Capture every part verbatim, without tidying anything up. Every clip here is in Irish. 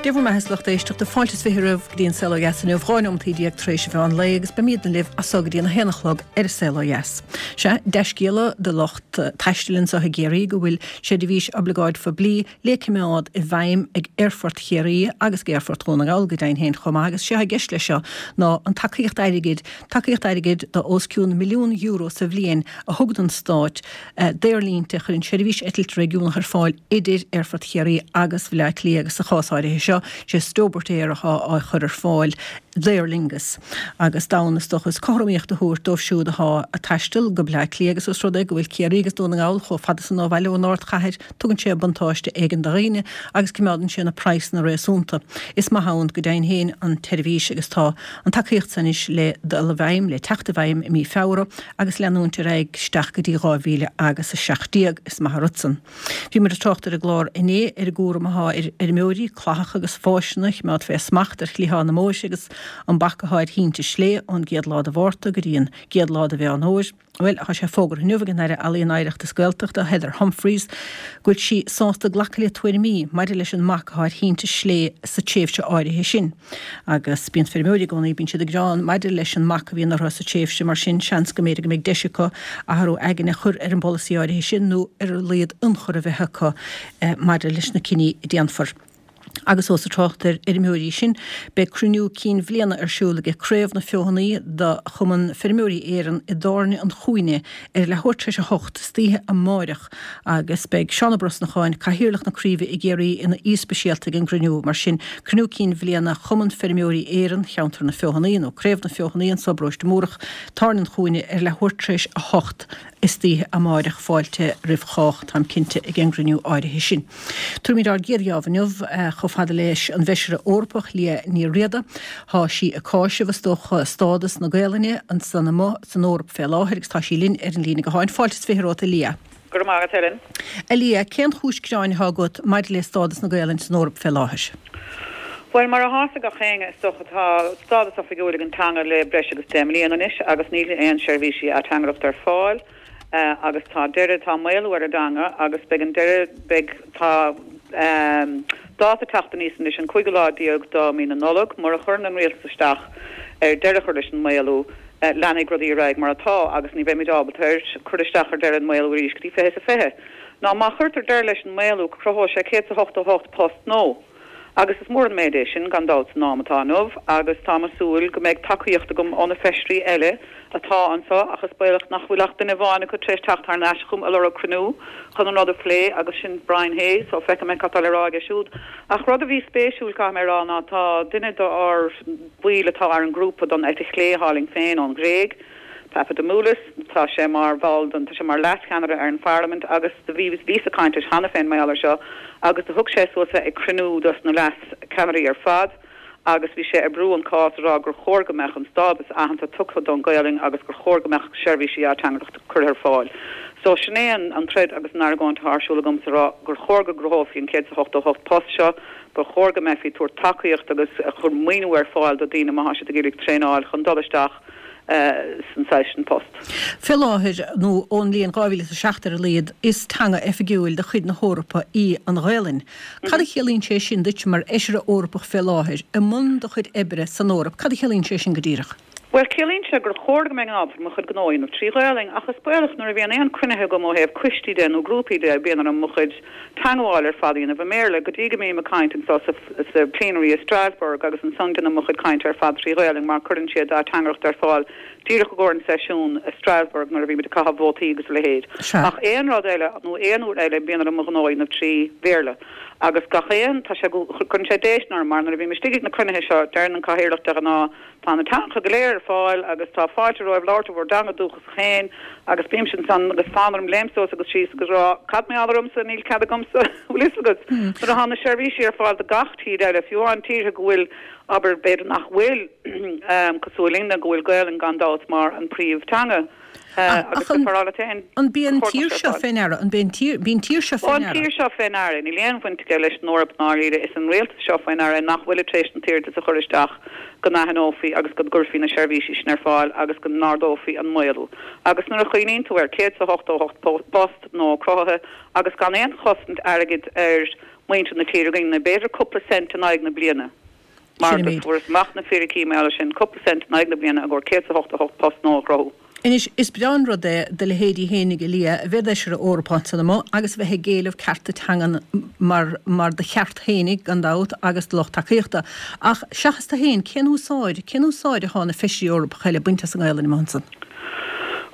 Dia bhur mbeatha, a lucht éisteachta fáilte is fiche romhaibh go dtí an Saol Ó Dheas inniu, dhá neomataí déag tar éis an mheán lae agus beimidne libh as so go dtí an a haon a chlog ar an Saol Ó Dheas. Sea, dea-scéala do lucht taistil anseo i gCiarraí go bhfuil seirbhís oibleagáid phoiblí le coimeád i bhfeidhm ag Aerfort Chiarraí agus ag Aerfort Dhún na nGall go deimhin féin chomh maith agus sé atá i gceist leis seo ná an tacaíocht airgid, tacaíocht airgid do os cionn milliún euro sa bhliain a thugann an Stát d'aerlínte a chuireann seirbhís eitilte réigiúnach ar fáil idir Aerfort Chiarraí agus Bhaile Átha Cliath agus sa chás áirithe seo, sé Stobart Air atá á chur ar fáil d'Aer Lingus agus d'fhonn is dócha is cothromaíocht a thabhairt dóibh siúd atá ag taisteal go Baile Átha Cliath agus os rud é go bhfuil Ciarraí agus Dún na nGall chomh fada san ó bhaile ón ardchathair, tugann sé buntáiste éigin do dhaoine agus coimeádann sé na praghsanna réasúnta. Is maith ann go deimhin féin an tseirbhís agus tá an tacaíocht san anois le dul i bhfeidhm, le teacht i bhfeidhm i mí Feabhra agus leanúint ar aghaidh isteach go dtí dhá mhíle agus a seacht déag. Is maith an rud san. Bhí muid ag trácht ar an gclár inné ar an gcúram atá ar fheirmeoirí clathacha agus fáiseanna a choimeád fé smacht ar chliathán na mbóithre agus an bac atá ar thinte slé ón gcéad lá de Mhárta go dtí an gcéad lá de Mheán Fhómhair. Bhuel, tá sé fógartha inniu ag an Aire Ealaíon, Oidhreachta is Gaeltachta, Heather Humphreys, go bhfuil sí sásta glacadh le tuairimí maidir leis an mbac atá ar thinte slé sa tréimhse áirithe sin. Agus bíonn feirmeoirí i gcónaí, bíonn siad ag gearán maidir leis an mbac a bhíonn orthu sa tréimhse, mar sin seans go mb'fhéidir go mbeidh deis acu athrú aigne a chur ar an bpolasaí áirithe sin nó ar a laghad ionchur a bheith acu maidir leis na cinní a déanfar. Agus ós ag trácht ar fheirmeoirí sinn, beidh cruinniú cinn bhliana ar siúl aige Craobh na Feothanaí do Chumann Feirmeoirí Éireann i dTábhairne an Chúinne ar leathuair tar éis a hocht istoíche amáireach agus beidh Seán Ó Brosnacháin, Cathaoirleach na Craoibhe i gCiarraí ina aoi speisialta ag an gcruinniú. Mar sin, cruinniú cinn bhliana Chumann Feirmeoirí Éireann, Cheantar na Feothanaí, nó Craobh na Feothanaí anso i bparóiste Múrach, Tábhairne an Chúinne ar leathuair tar éis a hocht istoíche amáireach. Fáilte roimh chách, táim cinnte, ag an gcruinniú áirithe sin. Tabharfaimid ár gcéad gheábh inniu chomh fada leis an bhFeisire Eorpach Liadh Ní Riada. Tá sí ag cáiseamh, is dócha, stádas na Gaelainne ansan amuigh san Eoraip fé láthair agus tá sí linn ar an líne gutháin. Fáilte is fiche romhat, a Liadh. Go raibh maith agat, Helen. A Liadh, cén chúis gearáin atá agat maidir le stádas na Gaelainne san Eoraip fé láthair? Bhuel, mar atá fhios ag gach éinne, is dócha, tá stádas oifigiúil ag an teanga le breis agus deich mbliana anois agus níl aon seirbhísí ateangaireachta ar fáil agus tá deireadh, tá maolú ar an dteanga agus beidh an deireadh, beidh, tá dáta ag teacht aníos anois, an cúigiú lá déag de mí na Nollag, mura chuireann an rialtas isteach ar deireadh a chur leis an maolú, leanfaidh rudaí ar aghaidh mar atá agus ní bheimid ábalta ar cur isteach ar deireadh an maolú arís go dtí fiche is a fiche. Ná má chuirtear deireadh leis an maolú, cruthóidh sé céad is a hochtó a hocht post nua. Agus is mór an méid é sin, gan dabht, san am atá inniu, agus táim ag súil go mbeidh tacaíocht agam ó na feisirí eile atá anseo, ach is baolach nach bhfuil ach duine amháin acu tar éis teacht thar n-ais chugam ag lorg cruinniú chun an rud a phlé, agus sin Brian Hayes, so feicfidh mé cad tá le rá aige siúd. Ach rud a bhí spéisiúil, caithfidh mé a rá, ná tá duine d'ár bhaill atá ar an ngrúpa don eite chlé thall linn féin ón Ghréig, Papadimoulis, tá sé mar bhall den, tá sé mar leascheannaire ar an pharlaimint agus do bhí, bhíos ag caint leis cheana féin mar gheall ar seo agus do thug sé suas é ag cruinniú dos na leascheannairí ar fad agus bhí sé ag brú an cás ag rá gur chóir go mbeadh an stádas aitheanta tugtha don Ghaelainn agus gur chóir go mbeadh seirbhísí ateangaireachta curtha ar fáil. So sin é an, an troid agus an argóint atá ar siúl agamsa ag rá gur chóir go gcruthófaí an céad is a hochtó hocht post seo, ba chóir go mbeifí ag tabhairt tacaíocht agus ag cur maoiniú ar fáil do daoine má tá siad ag iarraidh traenáil chun dul isteach san saghas sin post. Fé láthair, nó ón mbliain dhá mhíle is a seacht ar a laghad, is teanga oifigiúil de chuid na hEorpa í an Ghaelainn. Cad a chiallaíonn sé sin duit mar Fheisire Eorpach fé láthair, i mbun do chuid oibre san Eoraip? Cad a chiallaíonn sé sin go díreach? Bhuel, ciallaíonn sé gur chóir go mbeinn ábalta mo chuid gnó a dhéanamh trí Ghaelainn, ach is baolach nuair a bhíonn aon cruinnithe agam ó thaobh coistí de nó grúpaí de, bíonn orm mo chuid teangmháil ar fad a dhéanamh i mBéarla, go dtí go mbím ag caint anso sa sa plenary i Strasbourg agus ansan déanaim mo chuid cainte ar fad trí Ghaelainn mar cuireann siad ateangaireacht ar fáil díreach i gcomhair an seisiún i Strasbourg nuair a bhímid ag caitheamh vótaí agus a leithéid. Ach aon rud eile nó aon uair eile bíonn orm mo ghnó a dhéanamh trí Bhéarla agus gach aon, tá sé, cuireann sé déistin orm mar nuair a bhím istigh ag na cruinnithe seo deireann an cathaoirleach de ghnáth Tá na teangacha go léir ar fáil agus tá fáilte romhaibh labhairt i bhur dteanga dúchasach féin agus bímse ansan agus fonn orm léim suas agus síos agus rá cad mar gheall ormsa, níl cead agamsa, bhfuil fhios agat? Nuair atá na seirbhísí ar fáil do gach tír eile, fiú amháin tíortha go bhfuil, abair, b'fhéidir nach bhfuil cosúil linne, go bhfuil Gaelainn gan dabht mar an príomh-teanga. Ach an an b'í an tír seo fé ndeara? An b'é an tír, b'í an tír seo fé ndeara? An tír seo fé ndeara. Níl aon bhaint aige leis an Eoraip i ndáiríre. Is an rialtas seo fé ndeara nach bhfuil tar éis an t-iarratas a chur isteach go n-aithneofaí agus go gcuirfí na seirbhísí sin ar fáil agus go n-ardófaí an maolú. Agus nuair a chuimhníonn tú ar céad is a hochtó a hocht post nua cruthaithe agus gan aon chosaint airgid ar muintir na tíre againn ná b'fhéidir cúpla cent in aghaidh na bliana. Mar do fuaireas amach na fíricí mar gheall air sin, cúpla cent in aghaidh na bliana i gcomhair céad is a hochtó hocht post nua a chruthú. Anois, is breá an rud é do leithéidí fhéinig, a Lia, a bheith i d'fheisire Eorpach ansan amuigh agus a bheith ag éileamh cearta teangan mar mar do cheart fhéinig, gan dabht, agus do lucht tacaíochta. Ach seachas tú fhéin, cén úsáid, cén úsáid atá na Feisirí Eorpacha eile ag baint as an nGaelainn amuigh ansan?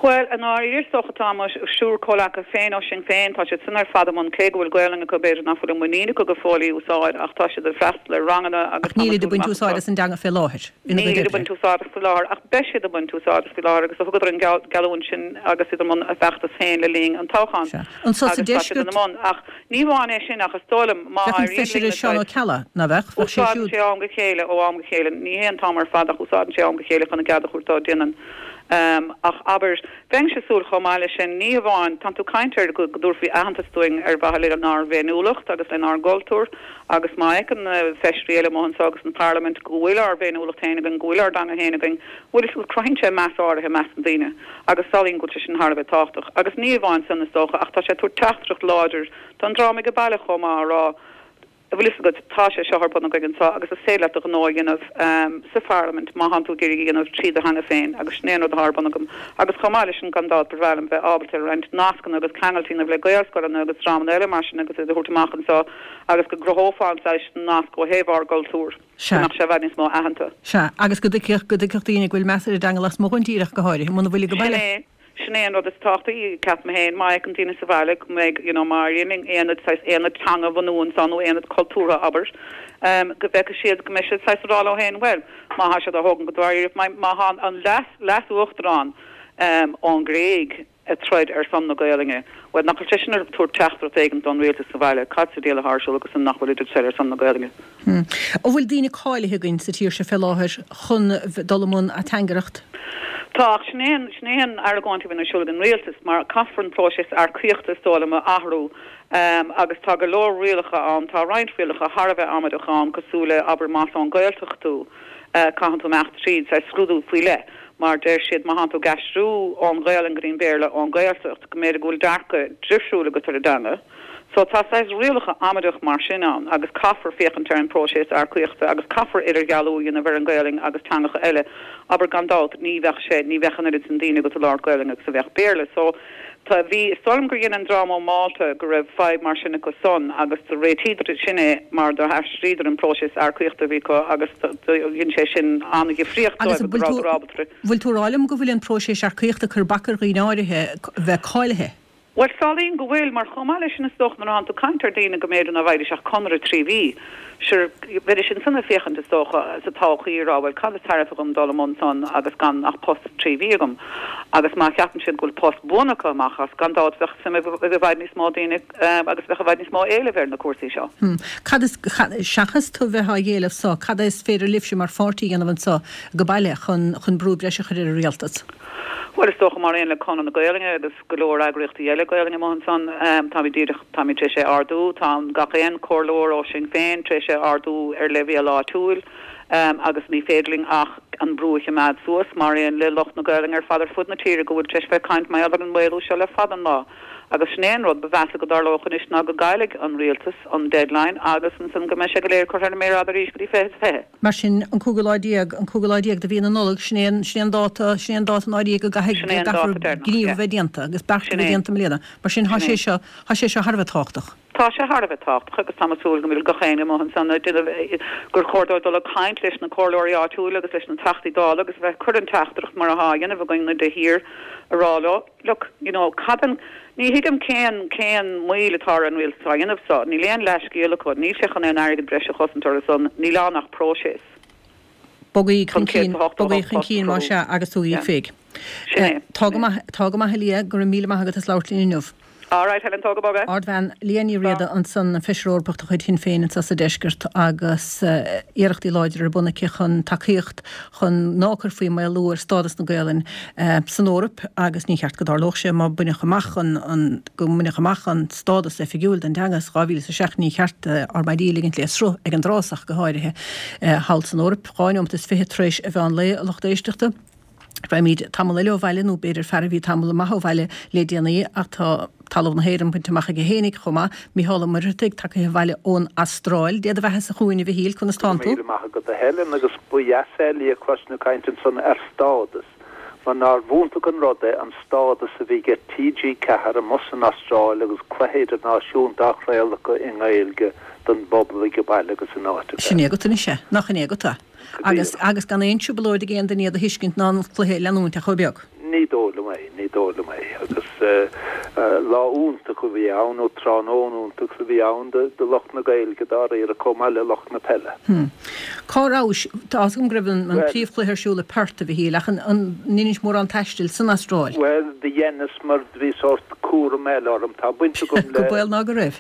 Bhuel, i ndáiríre, is dócha, tá mo thriúr comhleacaithe féin ó Shinn Féin, tá siad san ar fad i mbun, cé go bhfuil Gaelainn acu, b'fhéidir nach bhfuil an muinín acu go fóill í úsáid, ach tá siad ag freastal ar ranganna agus Ach nílid ag baint úsáid as an dteanga fé láthair ina gcuid Nílid ag oibre. baint úsáid as faoi láthair, ach beidh siad ag baint úsáid as faoi láthair agus thugadar an geallúint sin agus iad i mbun a bhfeachtas féin le linn an toghcháin. Sea. Anso sa Agus tá siad deisceart. ina mbun. Ach ní amháin é sin, ach is dóigh liom, má Bheadh an éiríonn Feisire linn na Seán Ó Ceallaigh, ná bheadh? Bheadh sé Úsáideann siúd. sé ó am go chéile, ó am go chéile. Ní hé an t-am ar fad ach úsáideann sé ó am go chéile chun a gcead a thabhairt dó, déanann. Ach abair, bheinnse ag súil chomh maith leis sin, ní hamháin, tánn tú ag caint ar go dtabharfaí aitheantas dúinn ar mhaithe lenár bhféiniúlacht agus lenár gcultúr agus má fheiceann na feisirí eile amuigh anseo agus an Pharlaimint go bhfuil ár bhféiniúlacht féin againn, go bhfuil ár dteanga féin againn, bhfuil fhios agat, cruthaíonn sé meas áirithe i measc na ndaoine agus samhlaím go bhfuil sé sin thar a bheith tábhachtach. Agus ní amháin san is dócha ach tá sé ag tabhairt teachtaireacht láidir don dream ag baile chomh maith á rá, An bhfuil fhios agat, tá sé seo ar bun againn anseo agus is féidir leat do ghnó a dhéanamh sa Pharlaimint má thánn tú ag iarraidh a dhéanamh trí do theanga féin agus sin é an rud atá ar bun agam. Agus chomh maith leis sin, gan dabht, ba bhreá liom bheith ábalta roinnt nascanna agus ceangailt a dhéanamh le Gaelscoileanna agus dreamanna eile mar sin agus iad a thabhairt amach anseo agus go gcruthófá an saghas nasc ó thaobh ár gcultúr, go Sea. mbeadh sé i bhfad níos mó aitheanta. Sea, agus go dtuigfeadh, go dtuigfeadh daoine go bhfuil meas ar an dteanga lasmuigh den tír ach go háirithe, muna bhfuil ag Sin baile. é. Sin é an rud is tábhachtaí, ceapaim féin, má fheiceann daoine sa bhaile go mbeidh, you know, má éiríonn linn aonad, saghas aonad teanga a bhunú ansan nó aonad cultúrtha, abair, go bhfeicfidh siad, go mbeidh siad saghas ag rá leo féin, bhuel, má thá siad á thógaint go dáiríre, má, má thá an leas, leas-uachtarán ón nGréig ag troid ar son na Gaelainne, bhuel, nach bhfuil sé sin ag tabhairt teachtaireacht éigin don rialtas sa bhaile, cad sa diabhal atá ar siúl acu san nach bhfuilid ag troid ar son na Gaelainne? An bhfuil daoine cáilithe againn sa tír seo fé láthair chun dul i mbun ateangaireacht? Tá, ach sin é an, sin é an argóint a bhíonn ar siúl ag an rialtas, mar caithfear an próiseas earcaíochta is dóigh liom a athrú agus tá go leor rialacha ann, tá roinnt rialacha thar a bheith amaideach ann, cosúil le, abair, más ón Ghaeltacht tú, caitheann tú imeacht tríd saghas scrúdú faoi leith, mar deir siad má thánn tú ag aistriú ón Ghaelainn go dtí an Béarla ón Ghaeltacht, go mb'fhéidir go bhfuil dearcadh difriúil agat ar an dteanga. So tá saghas rialacha amaideach mar sin ann agus caithfear féachaint ar an bpróiseas earcaíochta agus caithfear idirdhealú a dhéanamh ar an Ghaelainn agus teangacha eile. Abair gan dabht ní bheadh sé, ní bheadh an oiread sin daoine agat ag labhairt Gaelainn agus a bheadh Béarla. So tá, bhí, is dóigh liom gur dhein an dream ó Mhálta go raibh fadhb mar sin acu san agus do réitíodar sin é mar do athraíodar an próiseas earcaíochta a bhí acu agus do dhein sé sin an-dhifríocht Agus dóibh go bhfuil tú, rabhadar ábalta bhfuil tú ag rá liom go bhfuil an próiseas earcaíochta ag cur bac ar dhaoine áirithe bheith cáilithe? Bhuel, samhlaím go bhfuil, mar chomh maith leis sin is dócha nuair atánn tú ag caint ar daoine go mb'fhéidir ná bhfaighidís ach conradh trí mhí, sure, bheidís ansan ag féachaint is dócha sa todhchaí ag rá bhuel cad is tairbhe dhom dul i mbun san agus gan ach post trí mhí agam. Agus má cheapann siad go bhfuil post buan acu amach as, gan dabht bheadh suim ag i bhfad níos mó daoine agus bheadh i bhfad níos mó éilimh ar na cúrsaí seo. Hmm. Cad is, seachas tú bheith á éileamh so, cad is féidir libhse mar pháirtí a dhéanamh anso go baile chun, chun brú breise a chur ar an rialtas? Bhuel, is dócha mar aon le Conradh na Gaelainne agus go leor eagraíochtaí eile Gaelainne amuigh ansan, táimid díreach, táimid tar éis é a ardú, tá gach aon chomhairleoir ó Shinn Féin tar éis é a ardú ar leibhéal áitiúil agus ní féidir linn ach an brú a choimeád suas mar aon le lucht na Gaelainne ar fad ar fud na tíre go bhfuil tar éis bheith ag caint mar gheall ar an maolú seo le fada an lá. Agus sin é an rud ba mheasa go dtarlódh anois ná go gcaillfidh an rialtas an deadline agus ansan go mbeidh sé go léir curtha ar an méar fhada arís go dtí fiche is fiche. Mar sin, an cúigiú lá déag, an cúigiú lá déag de mhí na Nollag, sin é an, sin é an dáta, sin é an dáta i ndáiríre go gcaithfidh, Sin é go an dáta gcaithfear deireanach, gníomh a yeah. bheith déanta agus beart a Sin bheith é. déanta i mbliana. Mar sin, thá Sin sé é. seo, thá sé seo thar a bheith tábhachtach. Tá sé thar a bheith tábhachtach agus tá mé ag súil go bhfuil gach éinne amuigh ansan ag déanamh, gur chóir dóibh dul ag caint leis na comhairleoirí áitiúla agus leis na Teachtaí Dála agus a bheith ag cur an teachtaireacht mar athá á dhéanamh againn de shíor a rá leo, look, you know, cad an, ní thuigim cén, cén moill atá ar an rialtas á dhéanamh so, níl aon leathscéal acu, níl sé chun aon airgead breise a chosaint orthu san, níl ann ach próiseas. Bogaigí chun Chun céad cinn, is a hochtó a bogaigí hocht chun post a cinn más chruthú. ea agus tugaigí Yeah. féig. Sin é, Tá sin go é. maith, tá go maith a Lia, go raibh míle maith agat as labhairt linn inniu. All right, Helen, tóg go bog é. Ardbhean Liadh Ní Riada ansan, an Feisire Eorpach de chuid Shinn Féin anseo sa deisceart agus iarrachtaí láidre ar bun aici chun tacaíocht chun ná cuirfí maolú ar stádas na Gaelainne san Eoraip agus ní cheart go dtarlódh sé má baineadh amach an an go mbaineadh amach an stádas oifigiúil don teanga sa dhá mhíle is a seacht ní cheart ár maidí a ligint le sruth ag an dtrás ach go háirithe thall san Eoraip. Dhá neomat is fiche tar éis a mheán lae, a lucht éisteachta. Beimid tamall eile ó bhaile nó b'fhéidir fear a bhí tamall maith ó bhaile le déanaí ach tá talamh na hÉireann bainte amach aige fhéinig chomh maith, Mícheál Ó Muircheartaigh tagtha abhaile ón Astráil. Dia do bheatha-sa chugainn a Mhichíl, conas tánn tú? Míle maith agat a Helen agus ba dheas é a chloisint ag caint ansan ar stádas mar nár bh'iontach an rud é an stádas a bhí ag T G ceathair amuigh san Astráil agus cluiche idirnáisiúnta á chraoladh acu i nGaeilge don bpobal ag baile agus in áiteacha Sin é agat anois é, nach in é agat é? Agus agus gan aon trioblóid ag aon duine iad a thuiscint ná an cluiche a leanúint ach chomh beag. Ní dóigh liom é, ní dóigh liom é. Agus lá iontach a bhí ann, nó tráthnóna iontach a bhí ann do do lucht na Gaeilge dáiríre chomh maith le lucht na peile. Cá rabhais? Tá fhios agam go raibh an an príomhchluiche ar siúl i Perth, a Mhichíl, ach an an ndeinis mórán taistil san Astráil? Bhuel, do dheineas mar do bhí sórt cúram eile orm. Tá baint agam Go le. baol ná go raibh.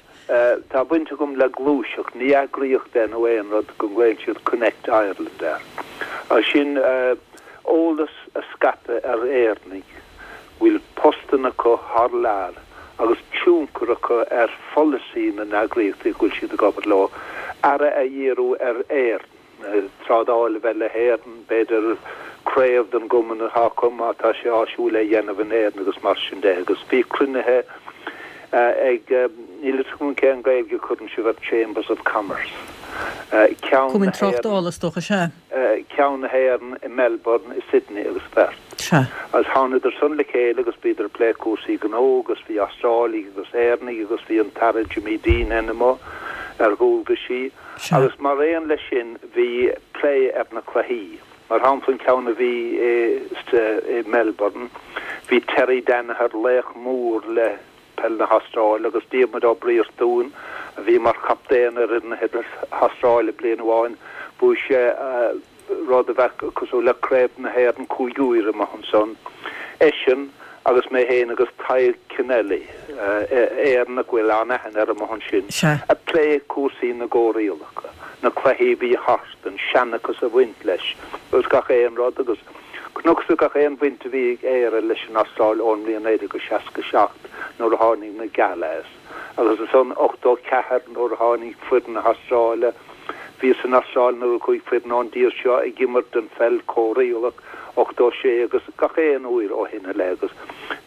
Tá baint agam le gluaiseacht, ní eagraíocht é nó aon rud, go nglaonn siad Connect Ireland air. Agus sin eolas a scaipeadh ar Éireannaigh bhfuil postanna acu thar lear agus tionchar acu ar pholasaí na n-eagraíochtaí go bhfuil siad ag obair leo, aire a dhíriú ar Éirinn, trádáil a bheith le hÉirinn, b'fhéidir craobh den gcumann atá acu má tá sé áisiúil é a dhéanamh in Éirinn agus mar sin de. Agus bhí cruinnithe ag, níl a fhios agam cén Gaeilge a chuireann sibh ar Chambers of Commerce, ceann Cumann na hÉireann. Tráchtála is dócha, sea. ceann na hÉireann i Melbourne, i Sydney agus Perth. Sea. Agus thánadar san le chéile agus bhíodar ag plé cúrsaí gnó agus bhí Astrálaigh agus Éireannaigh agus bhí an tAire Jimmy Deenihan amuigh ar dhualgaisí. Sea. Agus mar aon leis sin bhí plé ar na cluichí. Mar shampla an ceann a bhí i i Melbourne, bhí Terry Daniher, laoch mór le peil na hAstráile agus Diarmuid Ó Briartúin a bhí mar chaptaen ar fhoireann na hAstráile bliain amháin, bhuaigh sé rud a bheadh cosúil le Craobh na hÉireann cúig huaire amuigh ansan. Eisean agus mé féin agus Tadhg Kennelly, Éireannach a bhfuil an-aithne air amuigh ansin, ag plé cúrsaí na gcomhrialacha, na cluichí a bhí thart, an seanchas a bhaint leis agus gach aon rud agus chonacsa gach aon bhaint a bhí ag Éire leis an Astráil ón mbliain naoi déag seasca seacht nuair a tháinig na Galahs agus ansan ochtó ceathair nuair a tháinig foireann na hAstráile. Bhíos san Astráil nuair a chuaigh foireann ón dtír seo ag imirt an pheil chomhrialach, ochtó sé agus gach aon uair ó shin i leith agus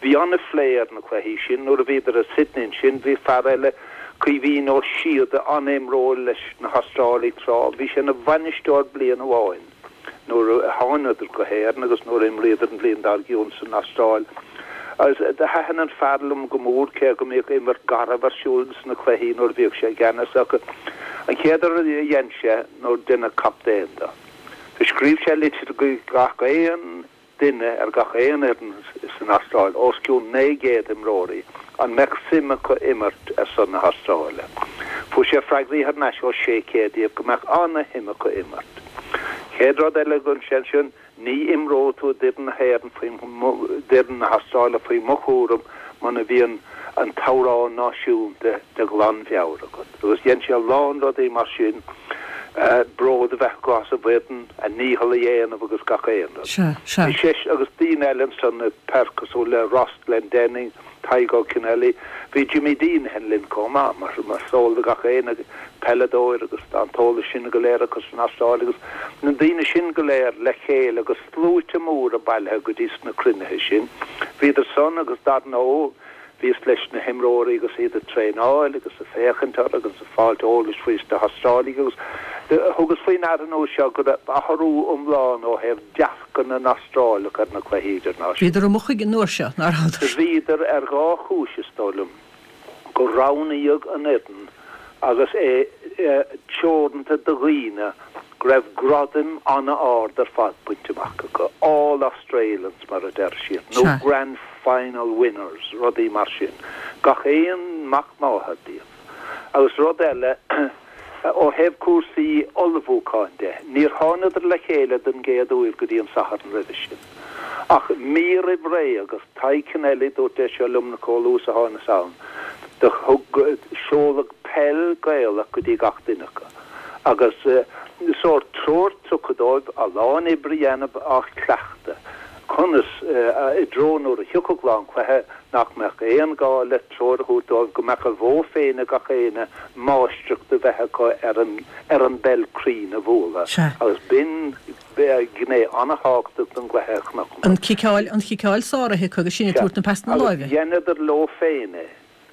bhí an-phlé ar na cluichí sin. Nuair a bhíodar i Sydney ansin bhí fear eile, Caoimhín Ó Síoda, an-imreoir leis na hAstrálaigh tráth, bhí sé ina bhainisteoir bliain amháin. nuair a thánadar go hÉirinn agus nuair a imríodar an bhliain dár gcionn san Astráil. Agus do thaitin an fear liom go mór, cé go mbíodh imirt garbh ar siúl sna cluichí nuair a bhíodh sé i gceannas acu. An chéad rud a dhein sé nuair deineadh captaen de, do scríobh sé litir go gach aon duine ar gach aon fhoireann san Astráil, os cionn naoi gcéad imreoirí, an mbeadh suim acu imirt ar son na hAstráile. Fuair sé freagraí thar n-ais ó sé chéad díobh go mbeadh ana-shuim acu imirt. Chéad rud eile a dhein sé ansin, ní imreoidh tú d'fhoireann na hÉireann faoi, d'fhoireann na hAstráile faoi mo chúram muna mbíonn an t-amhrán náisiúnta de ghlanmheabhair agat. Agus dhein sé a lán rudaí mar sin, bród a bheith acu as a bhfoireann, a ndícheall a dhéanamh agus gach aon rud. Sea, sea. Bhí sé agus daoine eile ansan i Perth cosúil le Ross Glendinning, Tadhg Ó Cinnealaigh, bhí Jimmy Deenihan linn chomh maith, mar mar is eol do gach éinne, peileadóir agus tá an t-eolas sin go léir acu san Astráil agus na daoine sin go léir le chéile agus sluaite móra bailithe go dtí sna cruinnithe sin. Bhíodar san agus dar ndóigh bhíos leis na himreoirí agus iad ag traenáil agus ag féachaint orthu agus ag fáilt eolais faoi sna hAstrálaigh agus thugas faoi ndeara an uair seo go raibh athrú iomlán ó thaobh dearcadh na nAstrálach ar na cluichí idirnáisiúnta. Bhíodar amuigh chuige an uair seo, ná rabhadar? Bhíodar ar dhá chúis is dóigh liom, gur roghnaíodh an fhoireann agus é teoranta do dhaoine go raibh gradaim an-ard ar fad bainte amach acu, All Australians mar a deir siad, nó Grand Final winners, rudaí mar sin, gach aon mac máthar díobh. Agus rud eile, ó thaobh cúrsaí ullmhúcháin de, níor thánadar le chéile den gcéad uair go dtí an Satharn roimhe sin. Ach mí roimh ré, agus Tadhg Kennelly, dúirt é seo liom chomh luath is a thánas ann, do thug, seoladh peil Gaelach go dtí gach duine acu agus sórt treoir tugtha dóibh a lán oibre a dhéanamh á chleachtadh. Conas i dtreo nuair a thiocfadh lá an chluiche nach mbeadh aon ghá le treoir a thabhairt dóibh, go mbeadh a mhodh féin ag gach éinne máistreacht a bheith acu ar an ar an bpeil cruinn a bhualadh. Agus b'in gné an-thábhachtach den gcluiche a chonaic An chiceáil, an chiceáil sáraithe acu agus sinn ag tabhairt na pasanna Agus láimhe. dheineadar leo féin é.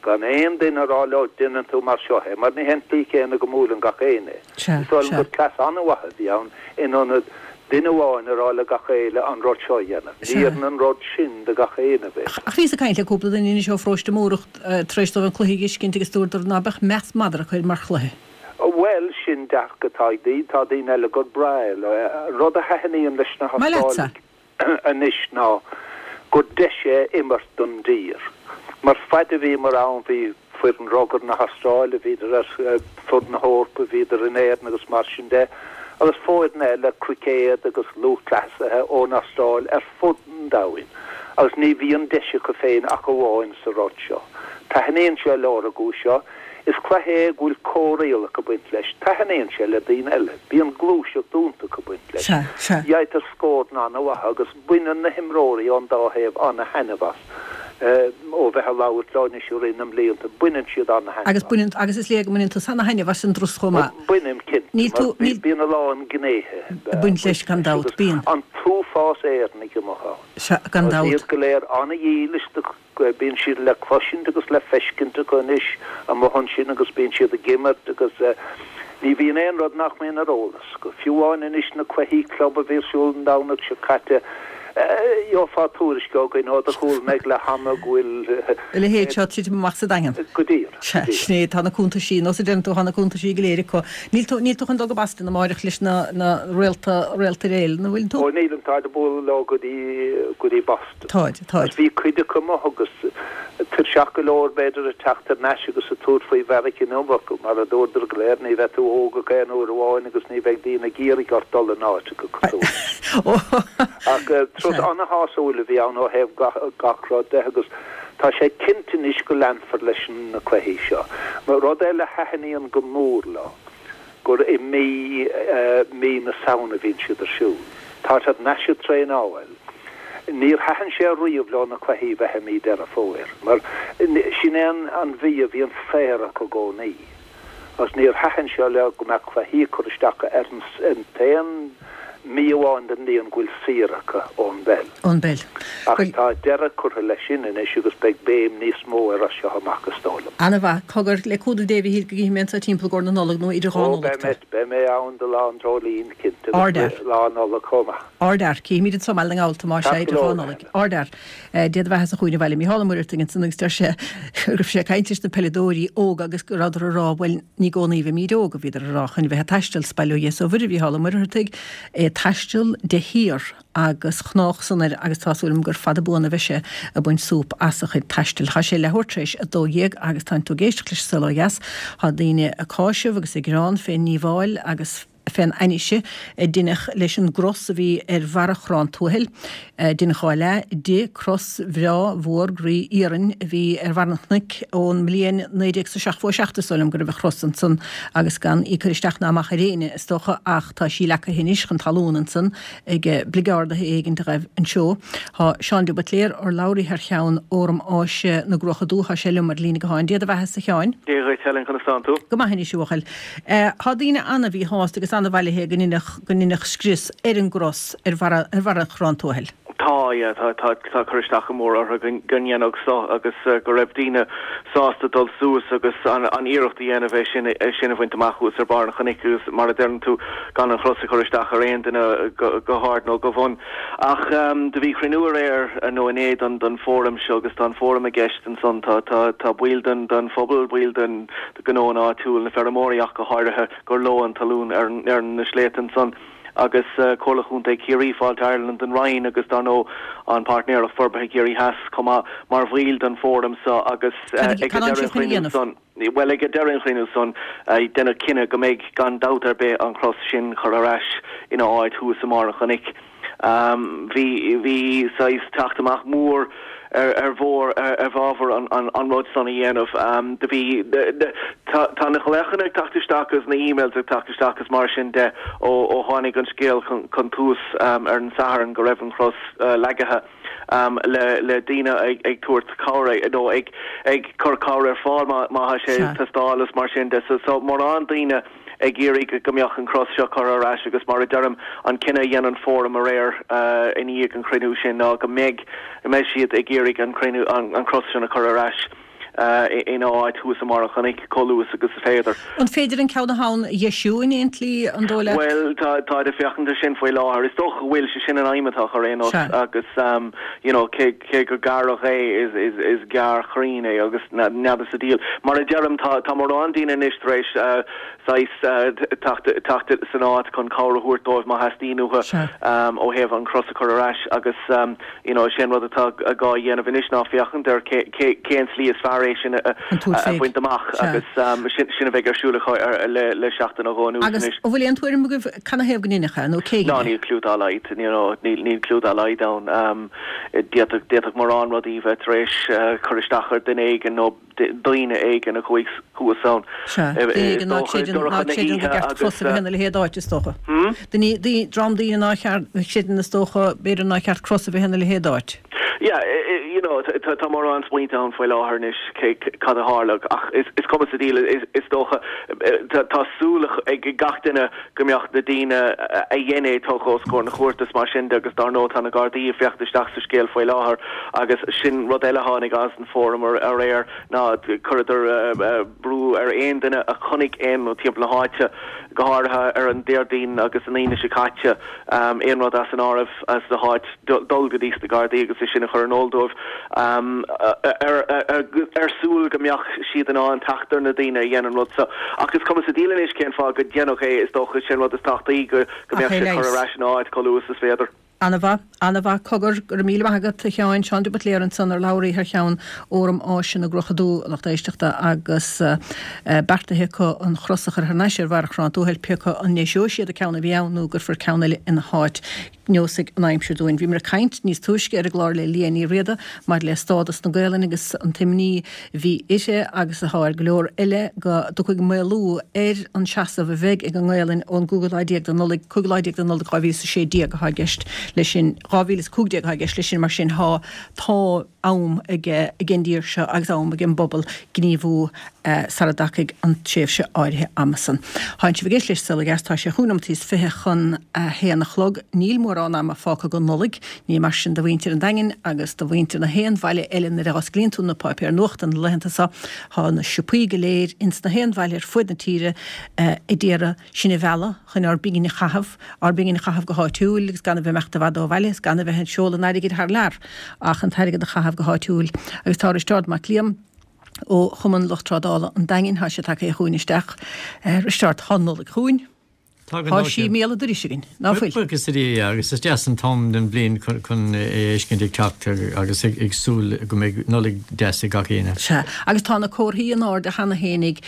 Gan aon duine a rá leo déanann tú mar seo é, mar ní hé an tslí chéanna go mbuaileann gach éinne. Sea, Is dóigh liom sea. gur cleas an-mhaith a bhí ann in ionad duine amháin a rá le gach éile an rud seo a dhéanamh. Sea. Ní oireann an rud sin do gach éinne, b'fhéidir. Ach bhíos ag caint le cúpla duine anois ó Pharóiste Múrach tar éis dóibh an cluiche a fheiscint agus dúradar ná beadh meas madra acu air mar chluiche. Bhuel, sin dearcadh atá ag daoine, tá daoine eile gur breá leo é. An rud a thaitníonn leis na Maith leatsa. hAstrálaigh anois ná gur deis é imirt don dtír. Mar fad a bhíomar ann bhí foireann rugair na hAstráile, bhíodar ar fud na hEorpa, bhíodar in Éirinn agus mar sin de, agus foirne eile cruicéad agus lúthchleasaithe ón Astráil ar fud an domhain. Agus ní bhíonn deis acu féin ach amháin sa rud seo. Taitníonn sé leo ar an gcúis seo. Is cluiche é go bhfuil comhrialacha ag baint leis. Taitníonn sé le daoine eile. Bíonn gluaiseacht iontach ag baint leis. Sea, sea. Gheibhtear scóranna an-mhaith agus baineann na himreoirí ón dá thaobh an-thaitneamh as. Ó bheith ag labhairt leo anois i rith na mblianta, baineann siad an-thaitneamh Agus as. baineann, agus is léir go mbaineann tusa an-thaitneamh as an dturas chomh maith. Bainim, cinnte, Níl mar tú, níl. bíonn a lán gnéithe Ag baint leis, gan dabht, agus bíonn. an t-uafás Éireannaigh amuigh ann. Sea, gan Agus dabht. iad go léir an-dhílis do bíonn siad le cloisint agus le feiscint acu anois amuigh ansin agus bíonn siad ag imirt agus ní bhíonn aon rud nach mbíonn ar eolas acu. Fiú amháin anois na cluichí club a bhí ar siúl an Domhnach seo caite, gheofá tuairisc againn ó do chúl mbeidh le hama go bhfuil A leithéid seo titim amach sa Daingean. Go díreach, Sea, go díreach. sin é, tá na cuntaisí, nós a deireann tú, tá na cuntaisí go léir acu. Níl tú, níl tú chun dul go Boston amáireach leis na, na réalta, réalta réil, nó bhfuil tú? Ó nílim, táid ag bualadh leo go dtí, go dtí Boston. Táid, táid. Agus bhí cuid acu amuigh agus tuirseach go leor b'fhéidir ag teacht thar n-ais agus ag tabhairt faoi Mheiriceá inniu acu, mar a dúradar go léir, ní bheidh tú óg ach aon uair amháin agus ní bheidh daoine ag iarraidh ort dul in áiteacha cosúil. Ach turas an-shásúil a bhí ann ó thaobh gach, gach rud de agus tá sé cinnte anois go leanfar leis na cluichí seo. Mar rud eile a thaitníonn go mór leo, gur i mí, mí na Samhna a bhíonn siad ar siúl. Tá siad anois ag traenáil. Níor thaitin sé riamh leo na cluichí bheith i mí Deireadh Fómhair, mar sin é an, an mhí a bhíonn saor acu i gcónaí. Agus níor thaitin sé leo go mbeadh cluichí ag cur isteach ar an, an t-aon mí amháin den bhliain go bhfuil saor acu ón bpeil. Ón bpeil. Ach tá deireadh curtha leis sin anois agus beidh béim níos mó air as seo amach is dóigh liom. Ana-mhaith. Cogar le cúnamh Dé a Mhichíl go gcífidh mé anseo timpeall i gcomhair na Nollag nó idir dhá Ó, Nollaig beidh tú. mé, beidh mé ann do Lá an Dreoilín, cinnte, agus Ardfhear. Lá Nollag chomh maith. Ardfhear. Cífimid anseo i mBaile na nGall tú más ea Ceart idir go dhá leor, Nollaig. Helen. Ardfhear. Dia do bheatha sa chúinne bhaile. Mícheál Ó Muircheartaigh ansan agus deir sé go raibh sé ag caint leis na peileadóirí óga agus go rabhadar ag rá, bhuel, ní i gcónaí a bheimid óg, a bhíodar ag rá, chun bheith ag taisteal sa baile ó dheas ó Mhuire Mhícheál Ó Muircheartaigh, é ag taisteal de shíor agus chnách san air agus tá súil agam gur fada buan a bheidh sé ag baint súp as a chuid taistil. Tá sé leathuair tar éis a dó dhéag agus tá tú ag éisteacht leis an Saol Ó Dheas. Tá daoine ag cáiseamh agus ag gearán fén ndíobháil agus fén ainnise a deineadh leis an gcros a bhí ar bharra Chrann Tuathail. Deineadh dhá leath di, cros bhreá mhór groí iarainn a bhí ar bharr an chnoic ón mbliain naoi déag is a seachtó a seacht is dóigh liom go raibh an chros ansan agus gan í cur isteach ná amach ar éinne is dócha ach tá sí leagtha anois chun talún ansan ag bligeardaithe éigin a ghaibh anseo. Tá Seán de Buitléir, urlabhraí thar cheann Fhóram Áise na gCruacha Dubha, tá sé liom ar líne gutháin. Dia do bheatha a Sheáin. Dia dhuit, Helen, conas tánn tú? Go maith anois a bhuachaill. Tá daoine an-mhíshásta agus an-bhailithe go ndeineadh go ndeineadh scrios ar an gcros ar bharra ar bharra Chrann Tuathail. Tá, yeah, tá tá tá cur isteach go mór orthu go go ndéanfadh so agus uh, go raibh daoine sásta dul suas agus an, an iarracht a dhéanamh é sin é sin a bhaint amach thuas ar barr an chnoic agus mar a deireann tú gan an chros a chur isteach ar aon duine go, go hard nó go bun. Ach um, do bhí cruinniú aréir nó inné don don fóram seo agus tá an fóram i gceist ansan tá tá tá baill den den phobal baill den ghnó an áitiúil na feirmeoirí ach go háirithe gur leo an talún ar ar na sléibhte ansan. agus uh, Comhairle Chontae Chiarraí Fáilte Ireland an Roinn agus dar ndóigh an Páirtnéireacht Forbartha Ciarraí Theas chomh maith mar bhaill den fóram seo agus uh, ag deireadh an chruinniú san well ag deireadh an chruinniú san uh, deineadh cinneadh go mbeidh gan dabht ar bith an chros sin chur ar ais ina áit thuas i mbarr an chnoic. Um, bhí bhí saghas teacht amach mór ar mhór i bhfabhar an rud san a dhéanamh. Do bhí tá na glaochanna ag teacht isteach agus na emails ag teacht isteach agus mar sin de ó ó tháinig an scéal chun tús ar an Satharn go raibh an chros leagaithe le le daoine ag ag tabhairt cabhair nó ag ag cur cabhair ar fáil má má tá sé ag teastáil is mar sin de. So so mórán daoine ag iarraidh go mbeadh an cros seo curtha ar ais agus mar a deirim an cinneadh a dhein an fóram aréir i ndiaidh an chruinniú sin ná go mbeidh go mbeidh siad ag iarraidh an cruinniú an cros sin a chur ar ais ina áit thuas i mbarr an chnoic chomh luath agus is féidir. An féidir an ceann atá ann a dheisiú in aon tslí an dóigh leat? Bhuel tá táid ag féachaint air sin faoi láthair. Is dócha go bhfuil sé sin an aidhm atá acu ar aon nós agus you know cé cé gur gearradh é is is is gearr chruinn é agus n'fheadar sa diabhal. Mar a deirim tá tá mórán daoine anois tar éis saghas teacht teacht san áit chun cabhair a thabhairt dóibh má theastaíonn uathu ó thaobh an chros a chur ar ais agus you know sé an rud atá gá a dhéanamh anois ná féachaint ar cé cé cén tslí is fearr é sin a bhaint amach agus sin sin a bheidh ar siúl acu le le seachtain nó dhó anuas Agus anois. an bhfuil aon tuairim agaibh canathaobh go ndeineadh é nó cé Ná dhein é? níl cliú dá laghad you know níl níl cliú dá laghad ann. D'fhéadfadh d'fhéadfadh mórán rudaí bheith tar éis cur isteach ar duine éigin nó daoine éigin a chuaigh thuas ann. Sea, daoine Is éigin ná dócha creideann ná dorcha na creideann gur hoíche ceart agus cros a bheith ina leithéid d'áit is dócha. Hmm? Daoine daoine dream daoine ná cheart creideann is dócha b'fhéidir nár cheart cros a bheith ina leithéid d'áit. Yeah, you know, tá mórán smaointe ann faoi láthair anois cé cad a tharla ach is is cuma sa diabhal is is dócha tá súil ag gach duine go mbeadh na daoine a dhein é tugtha os comhair na cúirte is mar sin de agus dar ndóigh tá na Gardaí ag féachaint isteach sa scéal faoi láthair agus sin rud eile a tháinig as an fóram aréir ná chuireadar brú ar aon duine a chonaic aon rud timpeall na háite, go háirithe ar an Déardaoin agus an Aoine seo caite, aon rud as an áireamh as na háit dul go dtí sna Gardaí agus é sin a chur in iúl dóibh ar súil go mbeadh siad in ann teacht ar na daoine a dhein an rud seo. Ach is cuma sa diabhal anois cén fáth go deineadh é, is dócha sin rud is tábhachtaí go Ach mbeadh é sé curtha leigheas. ar ais ina áit chomh luath is is féidir. Ana-mhaith, ana-mhaith. Cogar, go raibh míle maith agat, a Sheáin, Seán de Buitléar ansan, urlabhraí thar cheann Fhóram Áise na gClocha Dubha, a lucht éisteachta, agus beartaithe acu an chros a chur thar n-ais ar bharr Chrann Tuathail, pé acu an ndeiseoidh siad an ceann a bhí ann nó go gcuirfear ceann eile ina háit. Neosfaidh an aimsir dúinn. Bhíomar ag caint níos túisce ar an gclár le Liadh Ní Riada maidir le stádas na Gaelainne agus an t-imní a bhí uirthi agus atá ar go leor eile go dtiocfaidh maolú ar an seasamh a bheidh ag an nGaelainn ón gcúigiú lá déag de Nollaig, cúigiú lá déag de Nollaig dhá mhíle is a sé déag atá i gceist leis sin, dhá mhíle is a cúig déag atá i gceist leis sin, mar sin tá tá am ag ag an dtír seo agus am ag an bpobal gníomhú sara dtagfaidh an tréimhse áirithe ama san. Tánn sibh ag éisteacht leis Saol Ó Dheas, tá sé chúig nóimeataí is fiche chun a haon a chlog. Níl mórán ama fágtha go Nollaig, ní mar sin do mhuintir an Daingin agus do mhuintir na haon bhaile eile nuair a osclaíonn tú na páipéir nuachta na laethanta seo, tá na siopaí go léir ins na haon bhaile ar fuaid na tíre ag iarraidh sinn a mhealladh chun ár bpingin a chaitheamh, ár bpingin a chaitheamh go háitiúil agus gan a bheith imeacht i bhfad ó bhaile is gan a bheith ag seoladh an airgid thar lear ach an t-airgead a chaitheamh go háitiúil. Agus tá Risteárd Mac Liam ó Chumann Lucht Trádála an Daingin, tá sé tagtha chugainn isteach. Risteárd, tá an Nollaig chugainn. Tá Tá sí i mbéal an dorais againn, ná fuil? Buíochas le Dia, agus is deas an t-am den bhliain chun é a fheiscint ag teacht agus ag súil go mbeidh Nollaig deas ag gach éinne. Sea, agus tá na comharthaí in airde cheana fhéinig